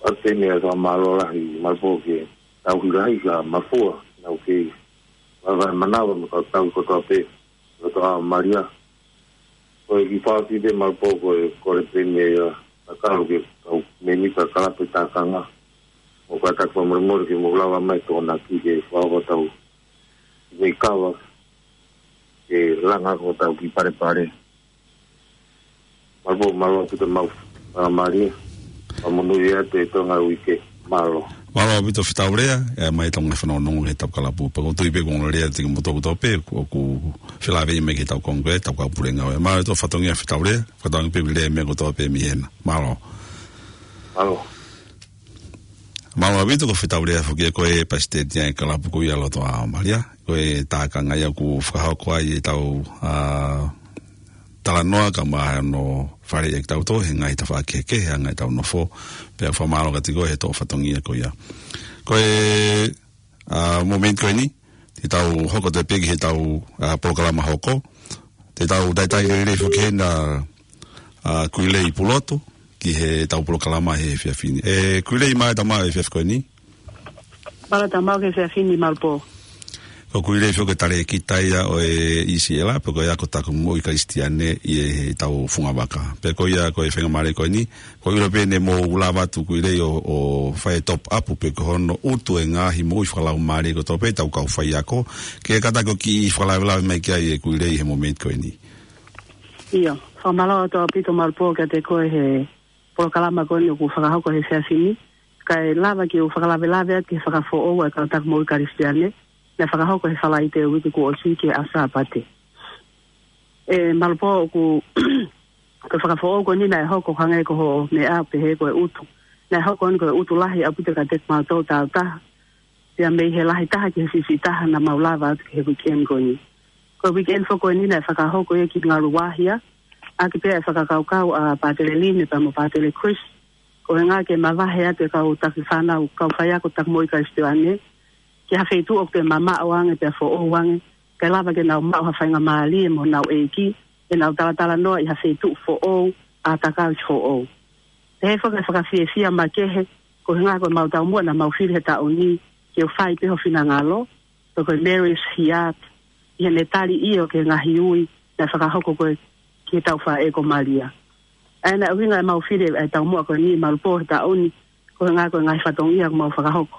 ʻAtā pē ʻa e fakamālō lahi Malipō ki he tauhi lahi ka mafua, nau kei vaevae manava mo e kau tauhi kotoa pē, Tautoʻa Malia. Ko e kiʻi fakaʻosi pē Malipō ko e kole pē ia, ʻa e kau ki he kau mēmipa kalape tākanga. Mou kātaki fakamolemole ke mou lava mai Tokonaki ke fakahoko ʻetau mei kava ke langa ko ʻetau kiʻi palepale. Malipō, mālō ʻaupito mau, ā, mālie. Fakamonū atu e Tonga uike. Mālō. Mālō ʻaupito Fetaulea, ʻe mai ʻetau ngaahi fanongonongo ki heʻetau kalapu. Pea ʻoku ou tui pē kuo ongo lea ʻa e tiki motu kotoa pē, ʻoku, ʻoku felāveʻi mai ki heʻetau Kōngo ko ē, ʻetau kau pule ngāue. Mālō ʻaupito fatongia Fetaulea, fakatauange pē ʻoku ʻi ai e meʻa kotoa pē mei hena. Mālō. Mālō. Mālō ʻaupito ko Fetaulea foki ē ko e palesiteni ʻa e kalapu ko ia Tautoʻa Malia. Ko e tākanga ia ʻoku fakahoko ai ʻetau, ā, talanoa kae ʻumaʻā hono faleʻi ʻa kitautolu he ngaahi tafaʻaki kehekehe ʻa e ngaahi ʻetau nofo. Pea fakamālō kiate koe he tō fatongia ko ia. Ko e, ā, momeniti ko eni, te tau hoko atu pē ki heʻetau, ā, polokalama hoko. Te tau talitali lelei foki hena, ā, Kuilei Pulotu, ki heʻetau polokalama he efiafi ni. ʻE, Kuilei mai tau mai efiafi ko eni. Mālō tau mai he efiafi ni Malipō. Ko Kuilei foki ko e talēkita ia ʻo e ʻIsiʻela, pea ko e ako taku moʻui Kalisitiane ʻi heʻetau fungavaka. Pea ko ia ko e faingamālie ko eni, ko e ʻilo pē ne mou lava atu Kuilei ʻo, ʻo fai e top up pē ko hono ʻutu e ngaahi moʻui fakalaumālie kotoa pē ʻetau kau faiako. Ke kātaki ʻo kiʻi fakalavelave mai ki ai ʻe Kuilei he momeniti ko eni. ʻIo, fakamālō atu ʻaupito Malipō kiate koe he polokalama ko eni ʻoku fakahoko he efiafi ni. Kae lava ke u fakalavelave atu ki he fakafoʻou ʻa e kau taku moʻui Kalisitiane, naʻe fakahoko he Falaite uike kuo ʻosi ki he ʻaho Sāpate. ʻE Malipō ʻoku, ko e fakafoʻou ko eni naʻe hoko hangē ko hoʻo meʻa pehē ko e ʻutu. Naʻe hoko eni ko e ʻutu lahi ʻaupito kiate kimautolu tautaha. Pea mei he lahi taha ki he siʻisiʻi taha naʻa mau lava atu ki he weekend ko eni. Ko e weekend foki ko eni naʻe fakahoko ia ki Ngaluahia. ʻAki pē ʻa e fakakaukau ʻa Pātele Line pea mo Pātele Chris. Ko e ʻuhinga ke mavahe atu e kau taki fānau, kau faiako taku moʻui Kalisitiane. Ki ha feituʻu ʻoku toe mamaʻo ange pea foʻou ange. Kae lava ke nau maʻu ha faingamālie mo honau ʻeiki. ʻEnau talatalanoa ʻi ha feituʻu foʻou, ʻātakausi foʻou. Pehē foki e fakafiefia makehe, ko e ʻuhinga ko ʻemau taumuʻa naʻa mau fili he taʻu ni, ke u fai pē ho finangalo, pe ko e Mary's Heart, ʻi heʻene tali ʻio ki he ngaahi ui, naʻe fakahoko ko ē ki he tauhi faʻē ko Malia. ʻA ia naʻe ʻuhinga ʻemau fili e taumuʻa ko eni Malipō he taʻu ni, ko e ʻuhinga ko e ngaahi fatongia ʻoku mau fakahoko.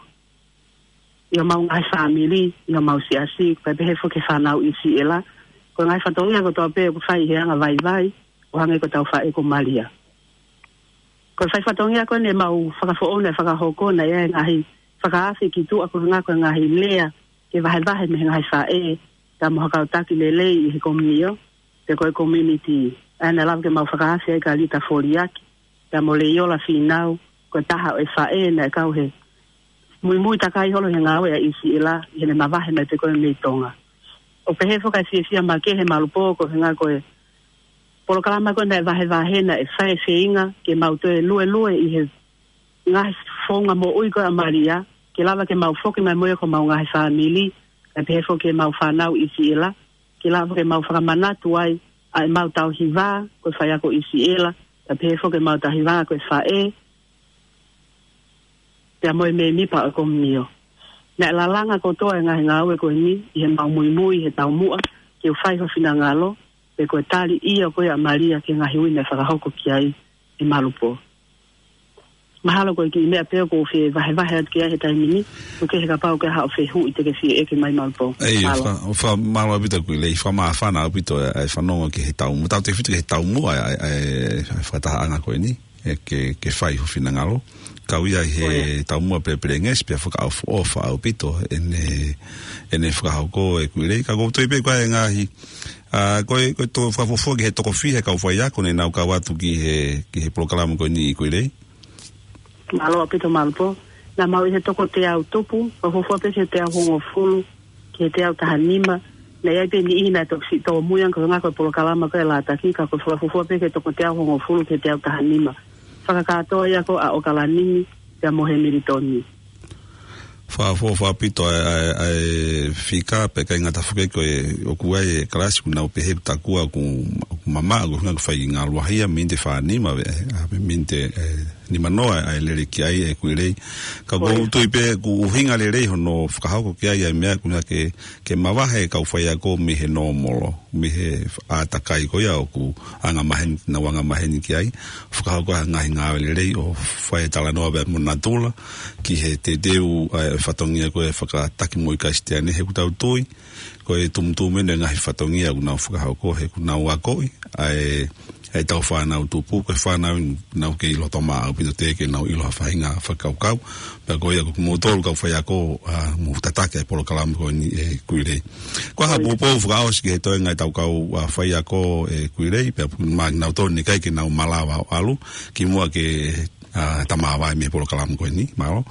ʻI homau ngaahi fāmili, ʻi homau siasi, kae pehē foki ki he fānau ʻIsiʻela, ko e ngaahi fatongia kotoa pē ʻoku fai he anga vaivai, ʻo hangē ko e tauhi faʻē ko Malia. Ko e fai fatongia ko eni ʻemau fakafoʻou naʻe fakahoko naʻe ʻi ai e ngaahi fakaafe ki tuʻa ko e ʻuhinga ko e ngaahi lea ke vahevahe mei he ngaahi faʻē, pea mo ha kau taki lelei ʻi he komiunio, pe ko e community. ʻA ia naʻe lava ke mau fakaafe ai Kalita Foliaki, pea mo Leiola Fīnau, ko e taha ʻo e faʻē naʻe kau he muimui takai holo he ngāue ʻa ʻIsiʻela, ʻi heʻene mavahe mai pē ko ē mei Tonga. ʻO pehē foki e fiefia makehe Malipō ko e ʻuhinga ko e polokalama ko ē naʻe vahevahe naʻe fai e feinga ke mau toe luelue ʻi he ngaahi founga moʻui ko ē ʻa Malia, ke lava ke mau foki mai mo ia ko homau ngaahi fāmili, kae pehē foki ki heʻemau fānau ʻi Siela, ke lava ke mau fakamanatu ai ʻa ʻemau tauhi vā ko e faiako ʻi Siela, kae pehē foki ki heʻemau tauhi vā ko e faʻē, pea mo e mēmipa ʻo e komiunio. Naʻe lalanga kotoa e ngaahi ngāue ko eni ʻi heʻemau muimui he taumuʻa ke u fai ho finangalo, pe ko e tali ia ko ia ʻa Malia ki he ngaahi ui naʻe fakahoko ki ai ʻe Malupo. Mahalo ko e kiʻi meʻa pē ʻoku ou fie vahevahe atu ki ai he taimi ni, ʻoku ʻikai ke kapau ʻoku ʻi ai haʻo fehuʻi te ke fie ʻeke mai Malupo. ʻEi, Mālō. fa-, fa-, mālō ʻaupito Kuileʻi, fakamāfana ʻaupito e, e fanongo ki he taumuʻa. Tautautefito ki he taumuʻa e, e, e, e fakatahaʻanga ko eni, ʻe ke, ke fai ho finangalo. Kau ia he ʻOia. taumuʻa pelepelengesi, pea fakaʻofoʻofa ʻaupito ʻene, ʻene fakahoko ē Kuileʻi. Ka ʻoku ou tui pē ko e ngaahi, ʻa, ko e, ko e tō fakafuofua ki he toko fiha e kau faiako ne nau kau atu ki he, ki he polokalama ko eni Kuileʻi. Mālō ʻaupito Malupo. Naʻa mau ʻi he toko teau tupu, fakafuofua pē ki he teau hongofulu, ki he teau taha nima. Naʻe ʻi ai pē niʻihi naʻe toki siʻi tōmui ange ko e ngaahi ko e polokalama ko e Lātaki, ka ko e fakafuofua pē ki he toko teau hongofulu ki he teau taha nima. Fakakātoa ia ko ʻa ʻOkalani, pea mo Hemilitoni. Fakafuofua ʻaupito ʻa e, ʻa e, ʻa e fika, pea ʻikai ngata foki ko e ʻoku ʻi ai e kalasi ʻoku nau pehē ʻoku tokua ʻoku, ʻoku mamaʻo, ʻoku hinga ʻoku fai ngāue lahi ia, miniti fā nima, ʻe, ʻa, miniti, ʻe, nima noa ʻa e lele ki ai ʻe Kuileʻi. Ka ʻoku ou ʻOia. tui pē ʻoku ʻuhinga lelei hono fakahoko ki ai ʻa e meʻa ʻoku hinga ke, ke mavahe e kau faiako mei he nōmolo, mei he ʻātakai ko ia ʻoku angamaheni, nau angamaheni ki ai. Fakahoko ha ngaahi ngāue lelei ʻo fai e talanoa pea mo natula ki he teuteu ʻa e fatongia ko e fakataki moʻui Kalisitiane, he ʻoku tau tui ko e tumutumu eni e ngaahi fatongia ʻoku nau fakahoko he ʻoku nau akoʻi ʻa e, ʻa e tau fānau tupu, ko e fānau ʻoku nau kei loto maʻa ʻaupito, teʻeki ke nau ʻilo ha faʻahinga fakakaukau. Pea ko ia ko kimoutolu kau faiako, ʻa, mou tataki ʻa e polokalama ko eni ʻe Kuileʻi. Ko e hā ʻOia. poupou fakaʻosi ki he toenga ʻetau kau, ʻa, faiako ʻe Kuileʻi, pea pu-, ma nau tonu ʻikai ke nau malava ʻo ʻalu, kimuʻa ke, ʻa, ta māvae mei he polokalama ko eni, mālō.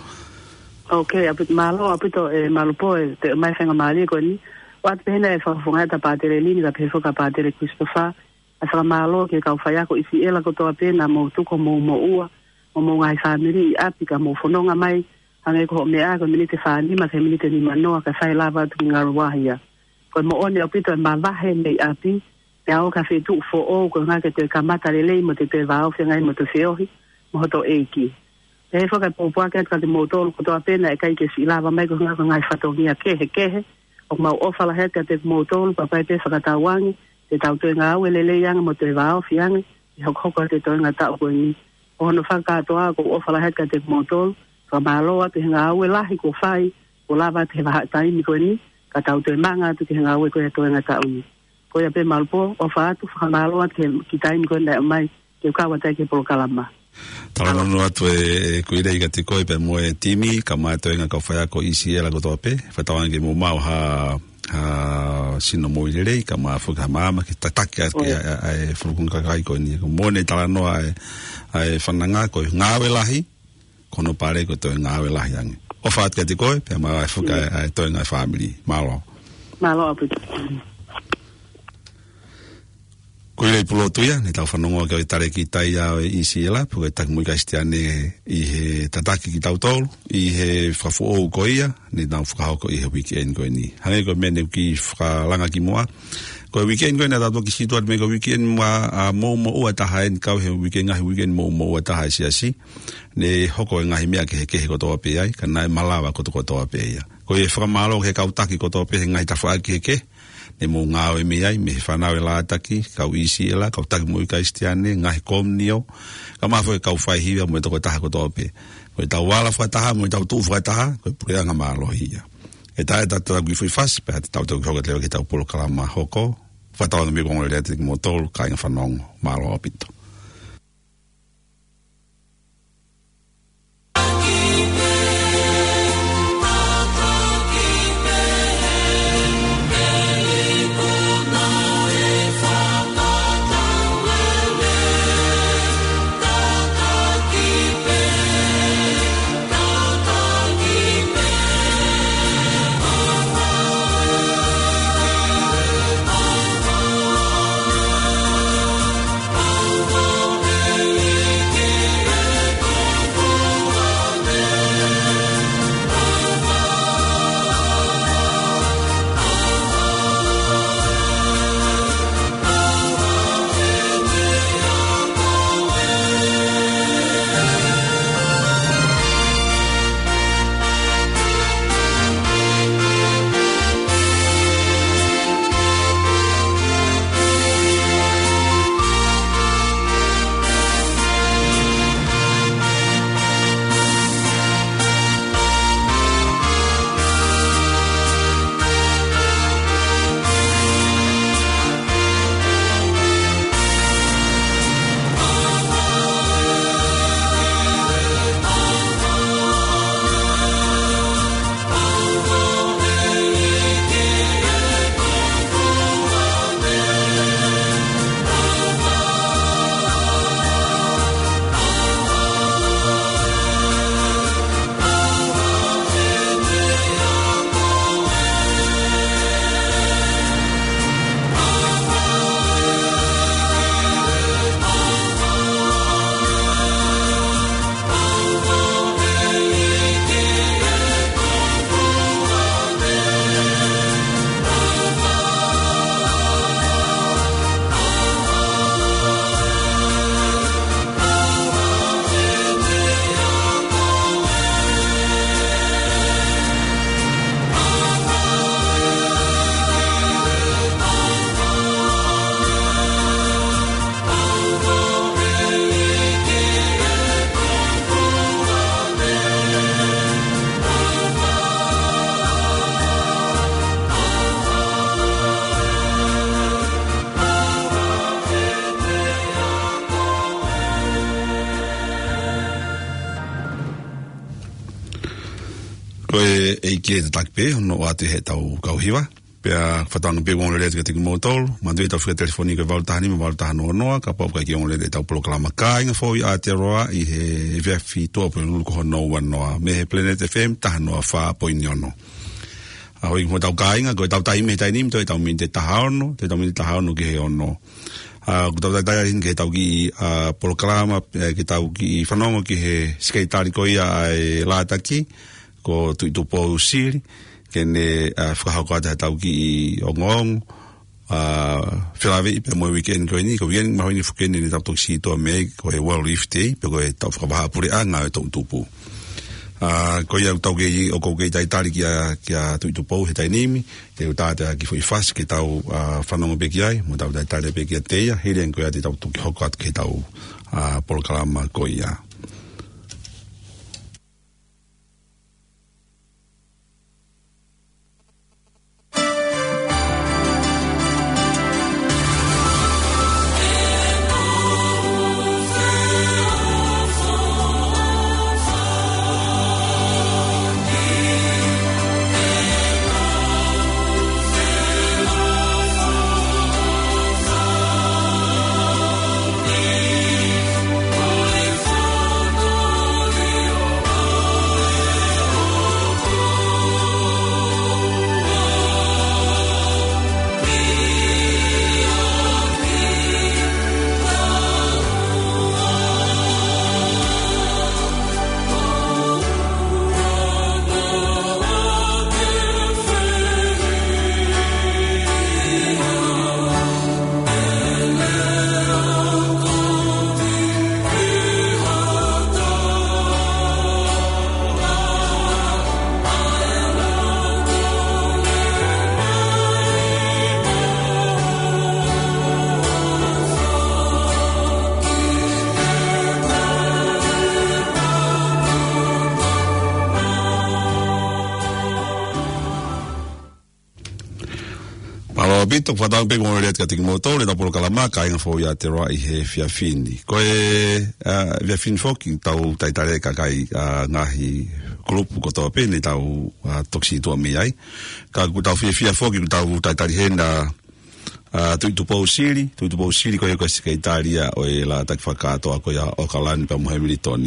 Ok, ʻaupito, mālō ʻaupito ē Malupo e te mai faingamālie ko eni. ʻOatu pē heni e fakafofonga ʻa Pātele Lini, kae pehē foki ʻa Pātele Christopher, ʻa e fakamālō ki he kau faiako ʻi Siela kotoa pē naʻa mou tuku homou moʻua, mo homou ngaahi fāmili ʻi ʻapi ka mou fononga mai, hangē ko hoʻo meʻa ko e miniti fā nima ki he miniti nima noa kae fai lava atu ki Ngaluahia. Ko e moʻoni ʻaupito e mavahe mei ʻapi, pea ō ki ha feituʻu foʻou, ko e ʻuhinga ke toe kamata lelei mo toe vāofi ange ai mo toe feohi mo hoto ʻEiki. Pehē foki e pōpoaki atu kiate kimoutolu kotoa pē naʻe ʻikai ke siʻi lava mai ko e ʻuhinga ko e ngaahi fatongia kehekehe, ʻoku mau ʻofa lahi atu kiate kimoutolu, pea ʻoku ʻi ai pē fakatauange te tau toe ngāue lelei ange mo toe vāofi ange ʻi he hokohoko atu e toenga taʻu ko eni. Ko hono fakakātoa ʻoku ou ʻofa lahi atu kiate kimoutolu, fakamālō atu he ngāue lahi kuo fai, kuo lava atu he vahaʻa taimi ko eni, ka tau toe manga atu ki he ngāue ko e toenga taʻu ni. Ko ia pē Malupo, ʻofa atu, fakamālō atu ki he, ki he taimi ko eni naʻe ʻomai ke u kau atu ai ki he polokalama. Talanoa atu ē, ē Kuileʻi kiate koe pea mo e timi, kae ʻumaʻā e toenga kau faiako ʻi Siela kotoa pē, fakatauange ke mou maʻu ha, ha sino moʻui lelei, kae ʻumaʻā foki ha maama ke tataki atu ki ʻOia. ʻa, ʻa, ʻa e fulukunga kakai ko eni. Ko e moʻoni e talanoa ʻa e, ʻa e fananga ko e ngāue lahi, ko hono pale ko e toe ngāue lahi ange. ʻOfa atu kiate koe, pea mo e fuka ʻIo. ʻa e, ʻa e toenga e fāmili. Mālō. Mālō ʻaupito. Kuileʻi Pulotu ia, ne tau fanongo ki ai ʻo e talēkita ia ʻo e ʻi Siela, pe ko e taki moʻui Kalisitiane ʻi he tataki kitautolu, ʻi he fakafoʻou ko ia, ne nau fakahoko ʻi he weekend ko eni. Hangē ko e meʻa ne u kiʻi fakalanga kimuʻa. Ko e weekend ko eni naʻa tau toki sio atu mei he ko e weekend ma, ʻa, mou moʻua taha eni kau he weekend ngaahi weekend mou moʻua taha ʻi he siasi. Ne hoko e ngaahi meʻa kehekehe kotoa pē ai, ka naʻe malava kotokotoa pē ia. Ko ia fakamālō ki he kau taki kotoa pē he ngaahi tafaʻaki kehekehe, ne mou ngāue mei ai, mei he fānau e Lātaki, kau ʻi Siela, kau taki moʻui Kalisitiane, ngaahi komiunio, kae ʻumaʻā foki e kau faihiva mo e tokotaha kotoa pē. Ko ʻetau ala fakataha, mo ʻetau tuʻu fakataha, ko e puleʻanga mālohi ia. ʻE tā e tau tau ki fui fasi, pea te tau tau ki hoka te ki tau polokalama hoko, fakatauange mei he konga lea te kimoutolu, kāinga fanongo, mālō ʻaupito. Ko e ʻEiki ē tataki pē, hono ʻoatu ʻe heʻetau kau hiva. Pea fakatauange pē ʻoku ongoongolelei atu kiate kimoutolu, manatuʻi ʻetau fika telefoni ko e valu taha nima, valu taha noa noa, kapau ʻoku ʻikai ke ongoongolelei ʻetau polokalama Kāinga Foʻou ʻi Aotearoa ʻi he efiafi Tuʻapulelulu ko hono ua noa, mei he Planet F M taha noa fā poini ono. ʻA, hoi mo ʻetau kāinga, ko ʻetau taimi he taimi ni, toe ʻetau miniti taha ono, toe ʻetau miniti taha ono ki he ono. ʻA, ko ʻetau talitali heni ki heʻetau kiʻi, ʻa, polokalama, ē, ki heʻetau kiʻi fanongo ki he sekelitali ko ia ʻa e Lātaki, ko Tuʻitupou Sili, ke ne, ʻa, fakahoko atu ʻetau kiʻi ongoongo, ʻa, felāveʻi pē mo e weekend ko eni, ko e weekend mahino foki eni naʻa tau toki sītuʻa mei ai, ko e World Youth Day, pea ko ʻetau fakavahaʻapuleʻanga ʻo e toʻutupu. ʻA, ko ia ʻoku tau kei, ʻoku ou kei talitali kia, kia Tuʻitupou he taimi ni, ke u tātā ki he foʻi fasi ke tau, ʻa, fanongo pē ki ai, mo tau talitali pē kiate ia, hili ange ko ia te tau toki hoko atu ki heʻetau, ʻa, polokalama ko ia. Mālō ʻaupito, fakatauange pē ʻoku ongoongolelei atu kiate kimoutolu ʻetau polokalama Kāinga Foʻou ʻi Aotearoa ʻi he efiafi ni. Ko e, ʻa, efiafi ni foki tau talitali e kakai, ʻa, ngaahi kulupu kotoa pē naʻa tau, ʻa, toki sītuʻa mei ai. Ka ʻoku tau fiefia foki ʻoku tau talitali heni ʻa, ʻa, Tuʻitupou Sili, Tuʻitupou Sili ko ia ko e sekelitali ʻo e Lātaki Fakakātoa ko ia ʻo ʻAokalani pea mo Hamilton.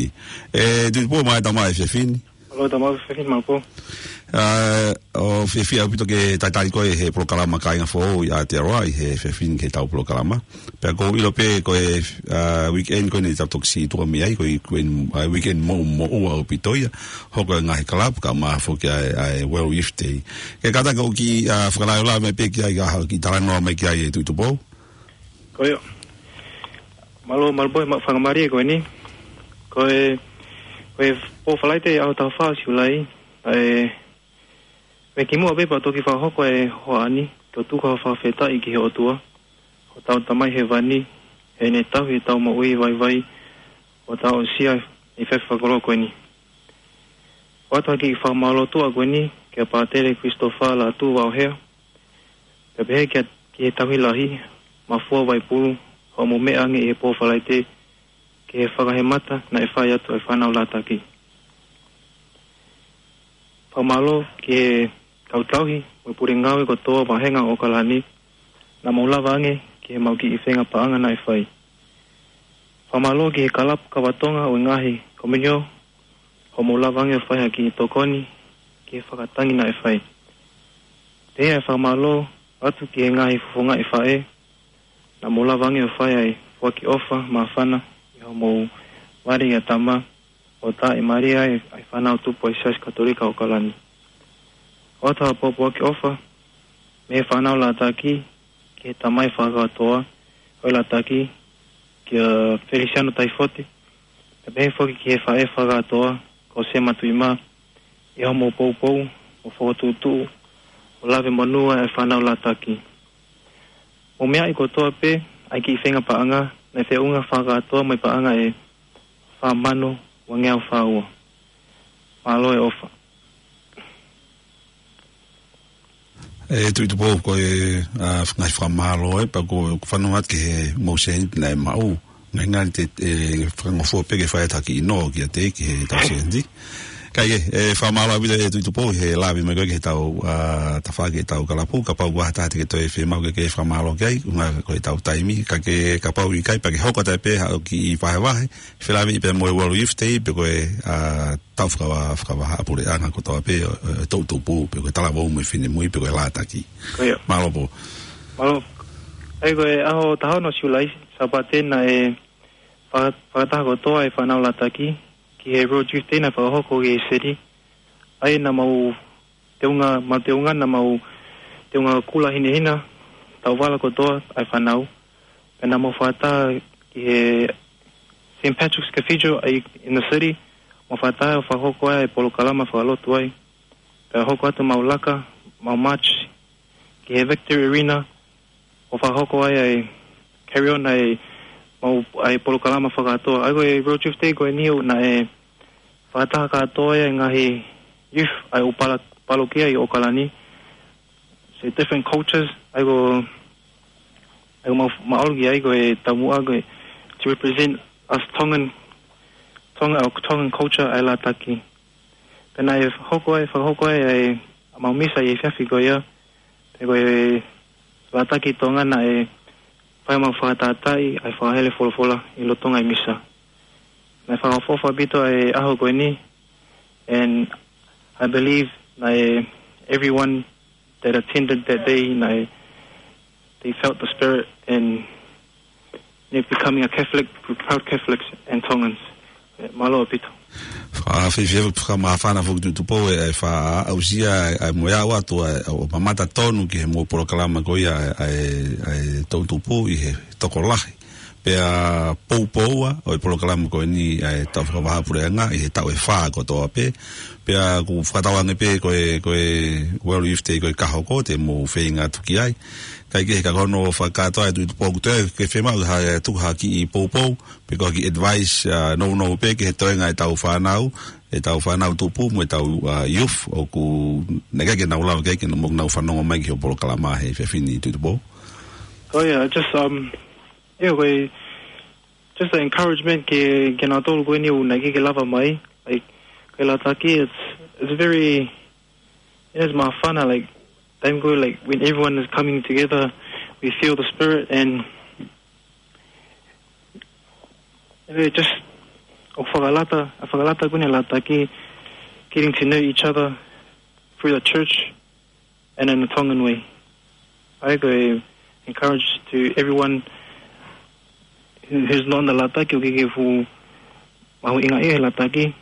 ʻE, Tuʻitupou, mālō e tau mai he efiafi ni. Mālō e tau mai he efiafi ni, Maʻupou. ʻA, ʻoku ou fiefia ʻaupito ke talitali koe he polokalama Kāinga Foʻou ʻi Aotearoa ʻi he efiafi ni ki heʻetau polokalama. Pea ʻoku ou ʻilo pē ko e, ʻa, weekend ko eni naʻa tau toki sītuʻa mei ai, ko e weekend, ʻa, weekend moʻumoʻua ʻaupito ia. Hoko e ngaahi kalapu kaeʻumaʻā foki ʻa e, ʻa e World Youth Day. Ke kātaki ʻo kiʻi, ʻa, fakalaulauloto mai pē ki ai, ʻa, kiʻi talanoa mai ki ai ʻe Tuʻitupou. Ko ia. Mālō, mālō Maʻupou, maʻu faingamālie ko eni. Ko e, ko e pō Falaite ʻaho taha fā Siulai, ʻa e, mei kimuʻa pē pea toki fakahoko e hoʻatā ni, ke u tuku ha fakafetaʻi ki he ʻOtua, ko hotau Tamai Hēvani, heʻene tauhi ʻetau moʻui vaivai, ʻo tau aʻusia ʻi he efiafi fakalotolahi ko eni. ʻOatu ha kiʻi fakamālō tuʻa ko eni kia Pātele Christopher Lātū Vaohea, pea pehē kia, ki he tauhi lahi, Mafua Vaipulu, hoʻomo meʻa ange ʻi he pō Falaite, ki he fakahemata naʻe fai atu ʻe he fānau Lātaki. Fakamālō ki he kau tauhi mo e pule ngāue kotoa vāhenga ʻo ʻAokalani, naʻa mou lava ange ki heʻemau kiʻi feinga paʻanga naʻe fai. Fakamālō ki he kalapu Kava Tonga ʻo e ngaahi komiunitī, hoʻomou lava ange ʻo fai ha kiʻi tokoni ki he fakatangi naʻe fai. Pehē ʻa e fakamālō atu ki he ngaahi fofongaʻi faʻē, naʻa mou lava ange ʻo fai ʻa e foaki ʻofa māfana ʻi hoʻomou vale ʻia tama, ʻo tā e mālie ai ʻa e fānau tupu ʻa e Siasi Katolika ʻo ʻAokalani. ʻOatu ha pōpoaki ʻofa mei he fānau Lātaki ki he tamai fakakātoa ʻo e Lātaki, kia Feliciano Taifote, pea pehē foki ki he faʻē fakakātoa ko Sema Tuʻimā, ʻi hoʻomou poupou mo fokotuʻutuʻu ʻo lave monū ai e fānau Lātaki. Mou meaʻi kotoa pē ʻa e kiʻi feinga paʻanga naʻe feʻunga fakakātoa mo e paʻanga ʻe fā mano uangeau fā ua. Mālō e ʻofa. ʻE Tuʻitupou, ko e, ʻa, ngaahi fakamālō ē, pea ʻoku ou fanongo atu ki he mou sēniti naʻe maʻu. Ngali ngali te, ʻe, fakangofua pē ke fai atu ha kiʻi nō kiate, ki heʻetau sēniti. Kae kehe, ʻe fakamālō ʻaupito ʻe Tuʻi Tupou he lave mai ko ē ki heʻetau, ā, tafaʻaki ʻetau kalapu, kapau ʻoku ʻi ai ha taha te ke toe fiemaʻu ke ke fakamālō ki ai, ʻuhinga ko ʻetau taimi, ka ke, kapau ʻikai pea ke hoko atu pē haʻo kiʻi vahevahe, felāveʻi pē mo e World Youth Day, pe ko e, ā, tau fakava-, fakavahaʻapuleʻanga kotoa pē, ʻo, ʻo, ʻo e toʻu tupu, pe ko e talavou mo e finemui, pe ko e lātaki. Ko ia. Mālō Pou. Mālō. ʻA ia ko e ʻaho taha ono Siulai, Sāpate naʻe fa-, fakataha kotoa e fānau lātaki, ki he World Youth Day naʻe fakahoko ki he seli. ʻA ia naʻa mau teunga, mau teunga, naʻa mau teunga kula hinehina, tauvala kotoa ʻa e fānau. Pea naʻa mau fakataha ki he Saint Patrick's Cathedral ʻa ia in the city, mau fakataha ʻo fakahoko ai e polokalama fakalotu ai. Pea hoko atu mau laka, mau march, ki he Victory Arena, ʻo fakahoko ai ʻa e carry on ʻa e mau, ʻa e polokalama fakakātoa. ʻA ia ko e World Youth Day ko eni ʻoku naʻe fakataha kātoa ai e ngaahi youth ʻa e ʻū pala-, palokia ʻi ʻOkalani. So different cultures, ʻa ia ko, ʻa ia ko mau, mau ʻalu ki ai ko e taumuʻa ko e to represent us Tongan, Tongan, our Tongan culture ʻa e lātaki. Pea naʻe hoko ai, fakahoko ai ʻa e mau misa ʻi he efiafi ko ia, pea ko e lātaki Tonga naʻe fai mau fakatātā ʻa e fakahele folofola ʻi loto ngaahi misa. Naʻe fakaʻofoʻofa ʻaupito ʻa e ʻaho ko eni, and I believe naʻe everyone that attended that day, naʻe, they felt the spirit and they're becoming a Catholic, proud Catholics and Tongans. ʻE, mālō ʻaupito. Fakafiefia, fakamāfana foki Tuʻi Tupou ʻe, ʻe faʻa aʻusia, ʻe, ʻe mo e aʻu atu, ʻe, ʻo mamata tonu ki he mo e polokalama ko ia, ʻe, ʻe, ʻe toʻu tupu ʻi he tokolahi. Pea poupou ʻa, ʻo e polokalama ko eni, ʻe, tau fakavahaʻapuleʻanga, ʻi he taʻu ʻe fā kotoa pē. Pea ʻoku fakatauange pē ko e, ko e World Youth Day ko e ka hoko, te mou feinga atu ki ai. Kae kehe ka ko hono fakakātoa ʻe Tuʻi Tupou ʻoku toe ke fiemaʻu ha, ʻe tuku ha kiʻi poupou, pe ko ha kiʻi advice, ā, nounou pē ki he toenga ʻetau fānau, ʻetau fānau tupu, mo ʻetau, ā, youth, ʻoku naʻe ʻikai ke nau lava ke, ke nau, mo nau fanongo mai ki hoʻo polokalama he efiafi ni Tuʻi Tupou. Oh yeah, just, um, yeah, we, just the encouragement ke, ke nau tolu ko eni ʻoku naʻe ʻikai ke lava mai, like, ko e lātaki, it's, it's very, it is māfana, like, time ko ē, like, when everyone is coming together, we feel the spirit, and it just, ʻo fakalata, ʻa fakalata ko eni lātaki, getting to know each other through the church and in the Tongan way. ʻA ia ko e encourage to everyone who, who's not in the lātaki, ʻoku ʻikai ke fuʻu mahuʻinga ʻi he lātaki,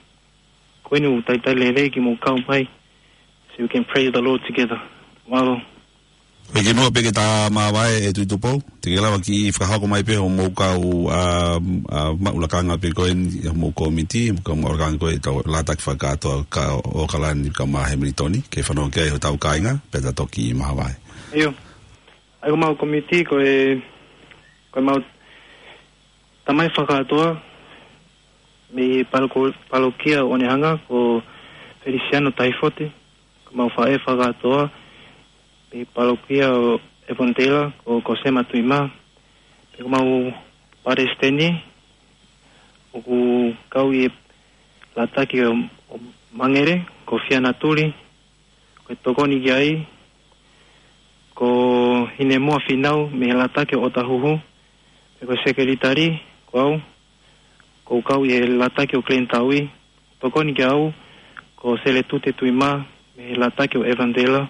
ko eni ʻoku talitali lelei ke mou kau mai, so we can praise the Lord together. Mālō. Ko e kimuʻa pē ke ta māvae ʻe Tuʻi Tupou, te ke lava kiʻi fakahoko mai pē hoʻomou kau, ā, ā, maʻu lakanga pē ko eni, hoʻomou kōmiti, mo e kau maʻu lakanga ko ē ʻetau lātaki fakakātoa ka ʻOkalani kae ʻumaʻā Hemilitoni, ke fanongo ki ai hotau kāinga, pea ta toki māvae. ʻIo. ʻA ia ko homau kōmiti ko e, ko homau tamai fakakātoa mei he paloko-, palokia ʻo Onehunga ko Feliciano Tahifote, ko homau faʻē fakakātoa mei he palokia ʻo Avondale ko Kosema Tuʻimā, pea ko homau palesiteni ʻoku kau ʻi he lātaki ʻo, ʻo Mangere ko Fiana Tuli, ko e tokoni ki ai ko Hinemoa Finau mei he lātaki ʻo Otahuhu, pea ko e sekelitali ko au, ʻoku ou kau ʻi he lātaki ʻo Glenn Taui, tokoni ki ai ko Seletute Tuʻimā mei he lātaki ʻo Avondale,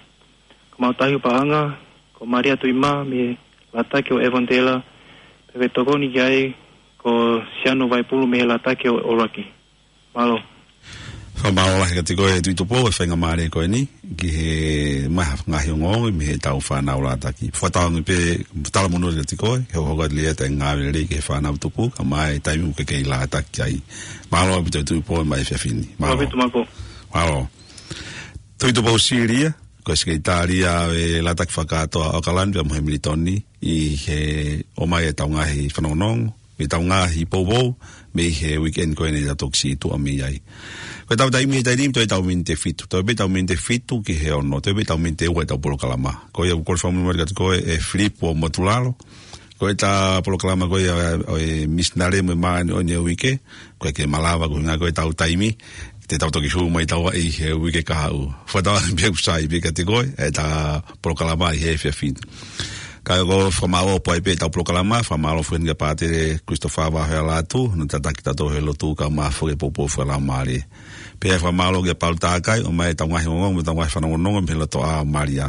ko homau tauhi paʻanga ko Maria Tuʻimā mei he lātaki ʻo Avondale, pea ko e tokoni ki ai ko Siano Vaipulu mei he lātaki ʻo ʻUluaki. Mālō. Fakamālō lahi kiate koe Tuʻi Tupou e faingamālie ko eni, ki he maʻu ha ngaahi ongoongo mei heʻetau fānau lātaki. Fakatauange pē, talamonū kiate koe, he ʻoku hoko atu leva ʻa e ngāue lelei ki he fānau tupu, kae ʻumaʻā e taimi ʻoku ke kei lātaki ai. Mālō ʻaupito Tuʻi Tupou maʻa e efiafi ni. Mālō. Mālō ʻaupito Mākou. Mālō. Tuʻi Tupou Silia, ko e sekelitali ʻo e lātaki fakakātoa ʻo ʻOkalani pea mo Hemilitoni, ʻi he ʻomai ʻetau ngaahi fanongonongo, mei heʻetau ngaahi poupou, mei he weekend ko eni ʻoku tau toki sītuʻa mei ai. Ko ʻetau taimi he taimi ni, toe ʻetau miniti ʻe fitu. Toe pē ʻetau miniti ʻe fitu ki he ono, toe pē ʻetau miniti ʻe ua ʻetau polokalama. Ko ia ʻoku ou kole fakamolemole kiate koe ʻe Filipo Motulalo. Ko ʻeta polokalama ko ia ʻo e misinale mo e māʻoniʻoni ʻo e uike, ʻoku ʻikai ke malava ko e ʻuhinga ko ʻetau taimi. te tau toki hū mai taua ʻi he uike kahaʻu. Fakatauange pē ʻoku sai pē kiate koe ʻetau polokalama ʻi he efiafi ni. Ka ko e fakamālō pē ʻetau polokalama, fakamālō foki kia Pātele Christopher Vahealatu, hono tataki tautolu he lotu kae ʻumaʻā foki e poupou fakalaumālie. Pea fakamālō kia Palu Takai, ʻomai ʻetau ngaahi ongoongo, mo ʻetau ngaahi fanongonongo, mei he lotoʻā ʻo Malia.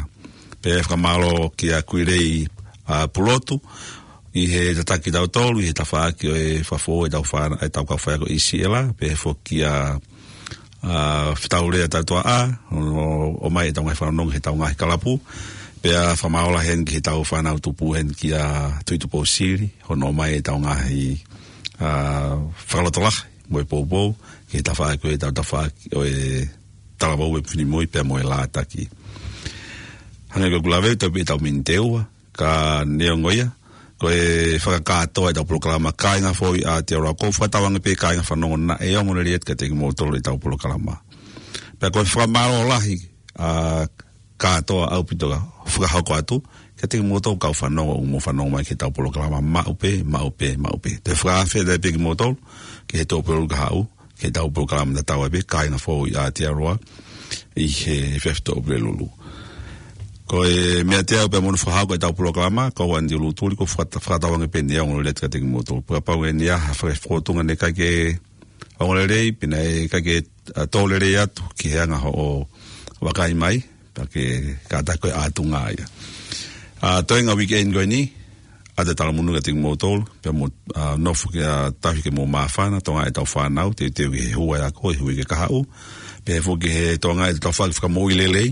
Pea fakamālō kia Kuilei, ʻa, Pulotu, ʻi he tataki tautolu, ʻi he tafaʻaki ʻo e fafo ʻetau fāna-, ʻetau kau faiako ʻi Siela, pea foki kia, ʻa, Fetaulea Tautuaʻa, ʻo, ʻomai ʻetau ngaahi fanongonongo heʻetau ngaahi kalapu, pea fakamālō heni ki heʻetau fānau tupu heni kia Tuʻitupou Sili, hono ʻomai ʻetau ngaahi, ʻa, fakalotolahi, mo e poupou, ki he tafaʻaki ʻo ʻetau tafaʻaki ʻo e talavou ʻo e finemui pea mo e lātaki. Hangē ko ʻeku lave, ʻoku tau pē ʻetau miniti ʻe ua, ka neongo ia, ko e fakakātoa ʻetau polokalama Kāinga Foʻou ʻi Aotearoa, ʻoku ou fakatauange pē kāinga fanongo naʻe ongo lelei atu kiate kimoutolu ʻetau polokalama. Pea ko e fakamālō lahi, ʻa, kātoa ʻaupito ʻoku fakahoko atu, kiate kimoutolu kau fanongo, ʻoku mou fanongo mai ki heʻetau polokalama maʻu pē, maʻu pē, maʻu pē. Toe fakaafe atu pē kimoutolu, ki he Tuʻapulelulu kahaʻu, ki heʻetau polokalama tatau ai pē, Kāinga Foʻou ʻi Aotearoa, ʻi he efiafi Tuʻapulelulu. Ko e meʻa teau pē mo hono fakahoko ʻetau polokalama, ko au Andy Lutuli, ʻoku ou fakata-, fakatauange pē naʻe ongo lelei atu kiate kimoutolu. Pea kapau ʻe ʻi ai ha fai fōtunga naʻe ʻikai ke ongo lelei, pe naʻe ʻikai ke, ʻa, tō lelei atu ki he anga hoʻo vakai mai, pea ke kātaki ko e ʻatunga ia. ʻA, toenga weekend ko eni, ʻoatu e talamonū kiate kimoutolu, pea mou, ʻa, nofo ke, ʻa, tauhi ke mou māfana, tokangaʻi ʻetau fānau, teuteu ki he hū ʻa e ako, ʻi he uike kahaʻu, pea foki ki he tokangaʻi ʻetau fai fakamoʻui lelei,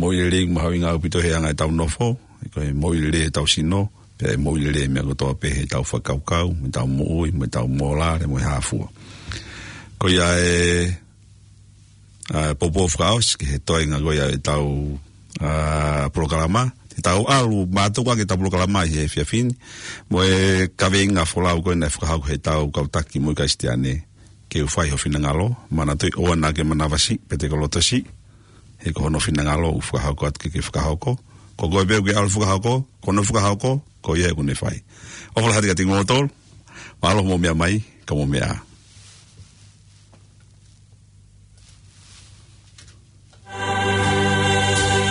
moʻui lelei mahuʻinga ʻaupito he anga ʻetau nofo, ko e moʻui lelei ʻetau sino, pea moʻui lelei meʻa kotoa pē heʻetau fakakaukau, mo ʻetau moʻui, mo ʻetau mōlale, mo e hā fua. Ko ia e, ʻa, poupou fakaʻosi ki he toenga ko ia ʻetau, ʻa, polokalama. Te tau ʻalu mātuku ʻaki ʻetau polokalama ʻi he efiafi ni, mo e kaveinga folau ko ē naʻe fakahoko heʻetau kau taki moʻui Kalisitiane. Ke u fai ho finangalo, manatuʻi ʻoua naʻa ke manavasiʻi, pe te ke lotosiʻi, he ko hono finangalo ʻoku fakahoko atu ke ke fakahoko. Ko koe pē ʻoku ke ʻalu fakahoko, ko hono fakahoko, ko ia ʻoku ne fai. ʻOfa lahi atu kiate kimoutolu, mālō hoʻomou meʻa mai, ka mou meʻa ā.